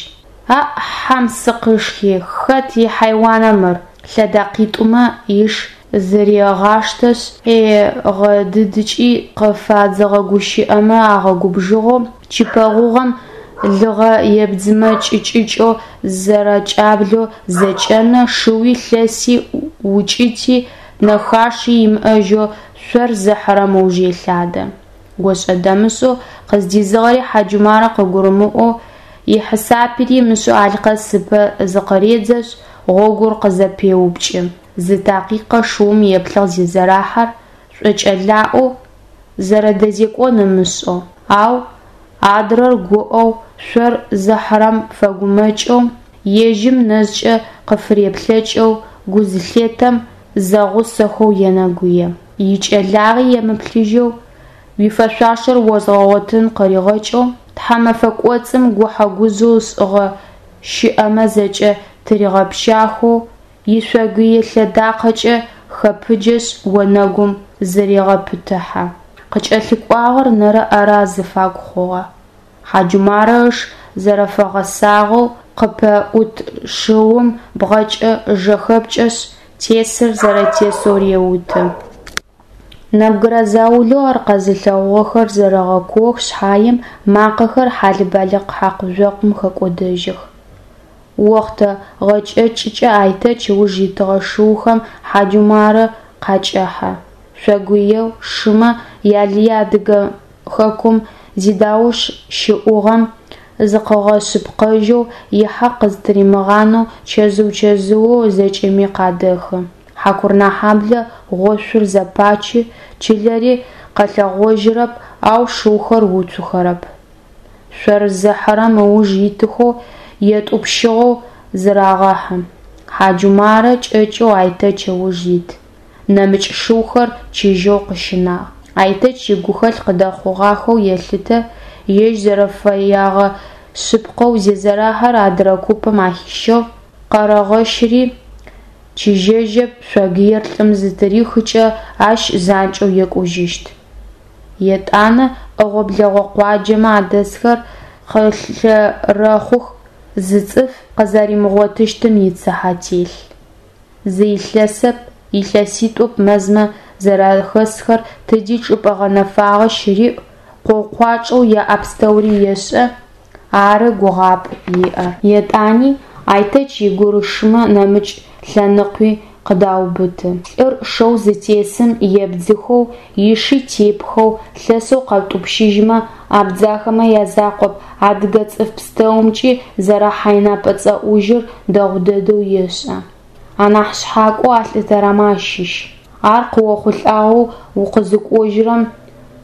Аӏ, хьэм сыкъышхи, хэт ихьайуана мыр! Лъэдакъитӏумэ иш зырегъаштэшъ, хегъэдыдыкӏи, къыфадзыгъэ гущыӏэмэ агъэгубжыгъэу, чыпэ гъугъэм лыгъэ ебдзымэ кӏыкӏыкӏэу зэрэкӏаблэу зэкӏэнэ, шыуи, лъэси, укӏыти, нэхаши имыӏэжьэу шъор зыхьырэм ыуж елъадэ. Ошӏэ-дэмышӏэу къыздизыгъэри Хьаджумарэ къыгурымыӏоу, ихьисапри ымышӏэу Алъкъэс ыпэ зыкъыредзэшъ, гъогур къызэпеупкӏы. Зы такъикъэ шыум еплъыгъ Зезэрахьэр шӏокӏэлаӏоу, зэрэдэзекӏон ымышӏэу, ау адрэр гуӏэу, шъор зыхьырэм фэгумэкӏэу, ежьым нэжъкӏэ къыфыреплъэкӏэу гу зылъетэм, зэгъусэхэу енэгуе. Икӏэлагъи емыплъыжьэу, уифэшъуашэр озгъэгъотын къыригъэкӏэу, тхьэмэфэ кӏоцӏым гухьэ-гужъэу ышӏыгъэ щыӏэмэ зэкӏэ тыригъэпщахэу, ишъогые лъэдакъэкӏэ хэпыджэшъ, онэгум зырегъэпытыхьэ. Къыкӏэлъыкӏуагъэр нэрэ-ӏэрэ азыфагу хъугъэ. Хьаджумарэ ыш зэрэфэгъэсагъэу, къыпэӏут шыум бгъэкӏэ жэхэпкӏэшъ, тесыр зэрэтесэу реуты. Нэбгырэ заулэу ар къэзылъэгъугъэхэр зэрэгъэкуох шъхьаем, макъэхэр хьалэ-балыкъ хьакъу-жъокъум хэкӏодэжьых. Охътэ гъэкӏэкӏкӏэ Айтэч ыуж итыгъэ шыухэм Хьаджумарэ къакӏэхьэ. Шъогыеу шымэ ялые Адыгэ хэкум зидауш щыӏугъэм зыкъыгъэшъыпкъэжьэу, ихьакъ къызтыримыгъанэу чэзыу-чэзыоу зэкӏэми къадэхы. Хьакурынэхьэблэ гъошъур зэпачы, чылэри къэлъэгъожьырэп, ау шыухэр уцухэрэп. Шъор зыхьырэм ыуж итыхэу етӏупщыгъэу зырагъэхьы. Хьаджумарэ кӏэкӏэу Айтэч ыуж ит, нэмыкӏ шыухэр чыжьэу къыщинагъ. Айтэч игухэлъ къыдэхъугъахэу елъытэ, ежь зэрэфэягъэ шъыпкъэу Зезэрахьэр адырэ купым ахищыгъ, Къэрэгъэщыри чыжьэжьэп, шъогыер лӏым зытырихыкӏэ, ащ занкӏэу екӏужьыщт. Етӏанэ ӏэгъо-блэгъо къуаджэмэ адэсхэр къылъэрэхъух, зы цӏыф къызэримыгъотыщтым ицыхьэ телъ. Зы илъэсэп, илъэситӏоп мэзмэ зэрахэсхэр, тыди чӏыпӏэ гъэнэфагъэ щыриӏ, къоу-къуачӏэу яӏэ пстэури ешӏэ, ары гугъапӏэу иӏэр. Етӏани Айтэч игурышэмэ нэмыкӏ лъэныкъуи къыдаубыты. Лӏыр шэу зытесым ебдзыхэу, иши тепхэу, лъэсэу къэптӏупщыжьмэ, абдзахэмэ язакъоп, адыгэ цӏыф пстэумкӏи зэрэхьайнэпэ-цӏэӏужьыр дэгъу дэдэу ешӏэ. Анахь шъхьакӏоу алъытэрэмэ ащыщ. Ар къыохъулӏагъэу укъызыкӏожьырэм,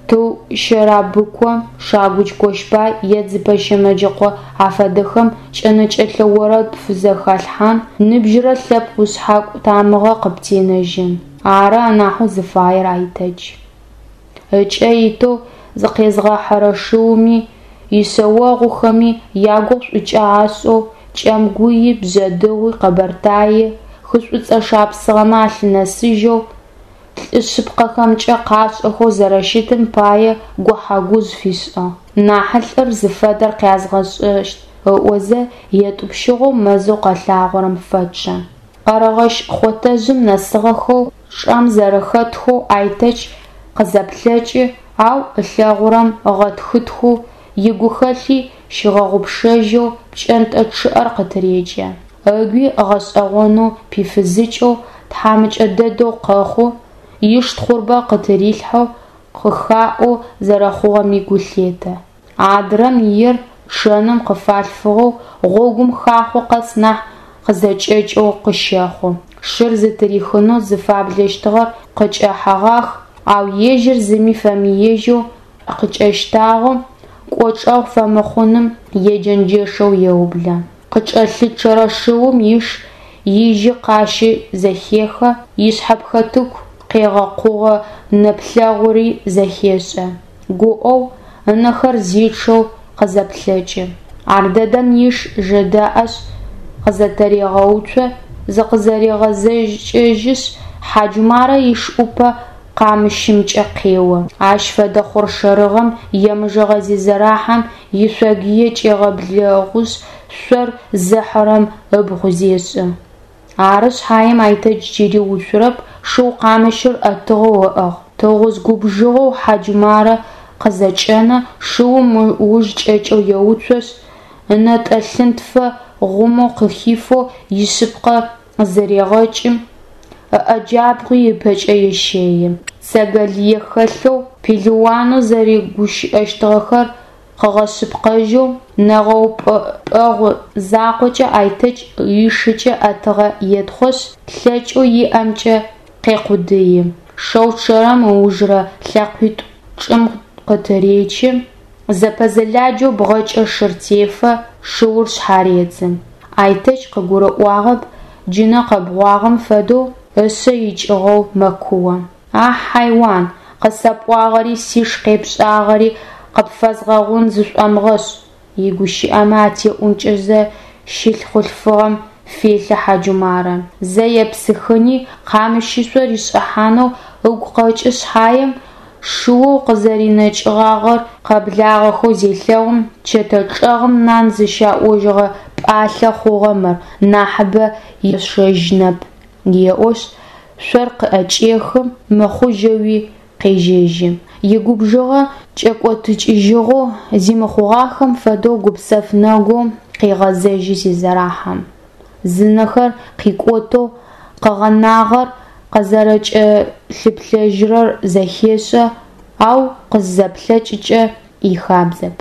Тыу Щэрабыкъо, Шагудж Кощбай е Дзыбэ Щэмэджыкъо афэдэхэм кӏэнэкӏэлъэ орэд пфызэхалъхьан, ныбжьырэ лъэпкъ ушъхьакӏу тамыгъэ къыптенэжьын. Ары анахьэу зыфаер Айтэч. Ыкӏэ итэу зыкъезгъэхьырэ шыуми, ишъэогъухэми ягугъу шӏукӏэ ашӏэу, Кӏэмгуи, Бжъэдыгъуи, Къэбэртаий, хы Шӏуцӏэ шапсыгъэмэ алъынэсыжьэу, лӏы шъыпкъэхэмкӏэ къашӏэхэу зэрэщытым пае гухьэ-гужъ фишӏыгъ. Нахьылӏыр зыфэдэр къязгъэшӏэщт ыӏозэ, етӏупщыгъэу мэзэу къэлъагъорэм фэчъэ. Къэрэгъэщ хъотэжъым нэсыгъэхэу чъэм зэрэхэтхэу Айтэч къызэплъэкӏы, ау ылъэгъурэм ыгъэтхытхэу, игухэлъи щигъэгъупшэжьэу пкӏэнтӏэ чъыӏэр къытырекӏэ. Ыгуи гъэшӏэгъонэу пифызыкӏэу, тхьамыкӏэ дэдэу къэхъу, иш тхъурбэ къытырилъхьэу, къыхаӏоу зэрэхъугъэми гу лъетэ. Адрэм иер чъэным къыфалъфыгъэу, гъогум хахъо къэс нахь къызэкӏэкӏэу къыщэхъу. Шыр зытырихынэу зыфаблэщтыгъэр къыкӏэхьэгъах, ау ежьыр зыми фэмыежьэу къыкӏэщтагъэу, кӏочӏэгъу фэмыхъуным еджэнджэшэу еублэ. Къыкӏэлъычъэрэ шыум иш ижьы къащи зэхехы, ишъхьэпхэтыку къегъэкъугъэ нэплъэгъури зэхешӏэ. Гуӏэу, ынэхэр зичъэу къызэплъэкӏы. Ардэдэм иш жэдэӏэшъ, къызэтырегъэуцо, зыкъызэрегъэзэкӏыжьышъ, Хьаджумарэ иш ӏупэ къамыщымкӏэ къео. Ащ фэдэ хъоршэрыгъэм емыжэгъэ Зезэрахьэм ишъогые кӏегъэблэгъушъ, шъор зыхьырэм ыбгъу зешӏы. Ары шъхьаем Айтэч джыри уцурэп, шыу къамыщыр ӏэтыгъэу ыӏыгъ. Тыгъужъ губжыгъэу Хьаджумарэ къызэкӏэнэ, шыум ыуж кӏэкӏэу еуцошъ, ынэтӏэ лъынтфэ гъумэу къыхифэу ишъыпкъэ зырегъэкӏы, ыӏэ джабгъуи ыпэкӏэ ещэи. Цэгэ лые хэлъэу, пелыуанэу зэрэгущыӏэщтыгъэхэр къыгъэшъыпкъэжьэу, нэгъэупӏэпӏэгъу закъокӏэ Айтэч ишыкӏэ ӏэтыгъэ етхъошъ, лъэкӏэу иӏэмкӏэ къекъудыи. Шэу чъэрэм ыужырэ лъэкъуитӏу чӏым къытыречы, зэпэзэладжэу бгъэкӏэ шыр тефэ, шыур шъхьаредзы. Айтэч къыгурыӏуагъэп, джынэ къэбгъуагъэм фэдэу ышъэ икӏыгъэу мэкуо. А хьайуан, къысэпӏуагъэри сиш къепшӏагъэри къыпфэзгъэгъун зышӏомыгъэшӏ, игущыӏэмэ атеӏункӏэзэ щылъ хъулъфыгъэм фелъэ Хьаджумарэ. Зэ епсыхыни, къамыщышъо ришӏыхьанэу ыгу къэкӏы шъхьаем, шыоу къызэринэкӏыгъагъэр къэблагъэхэу зелъэгъум, чэтэ чӏэгъым нан зыщаӏожьыгъэ пӏалъэ хъугъэ мыр, нахьыбэ ешэжьынэп, еӏошъ, шъор къыӏэкӏехы, мыхъужьэуи къежьэжьы. Игубжыгъэ кӏэкӏотыкӏыжьыгъэу, зи мыхъугъахэм фэдэу гупсэф нэгоу къегъэзэжьы Зезэрахьэм. Зынэхэр къикӏотэу къыгъэнагъэр къызэрэкӏэлъыплъэжьырэр зэхешӏэ, ау къызэплъэкӏыкӏэ ихабзэп.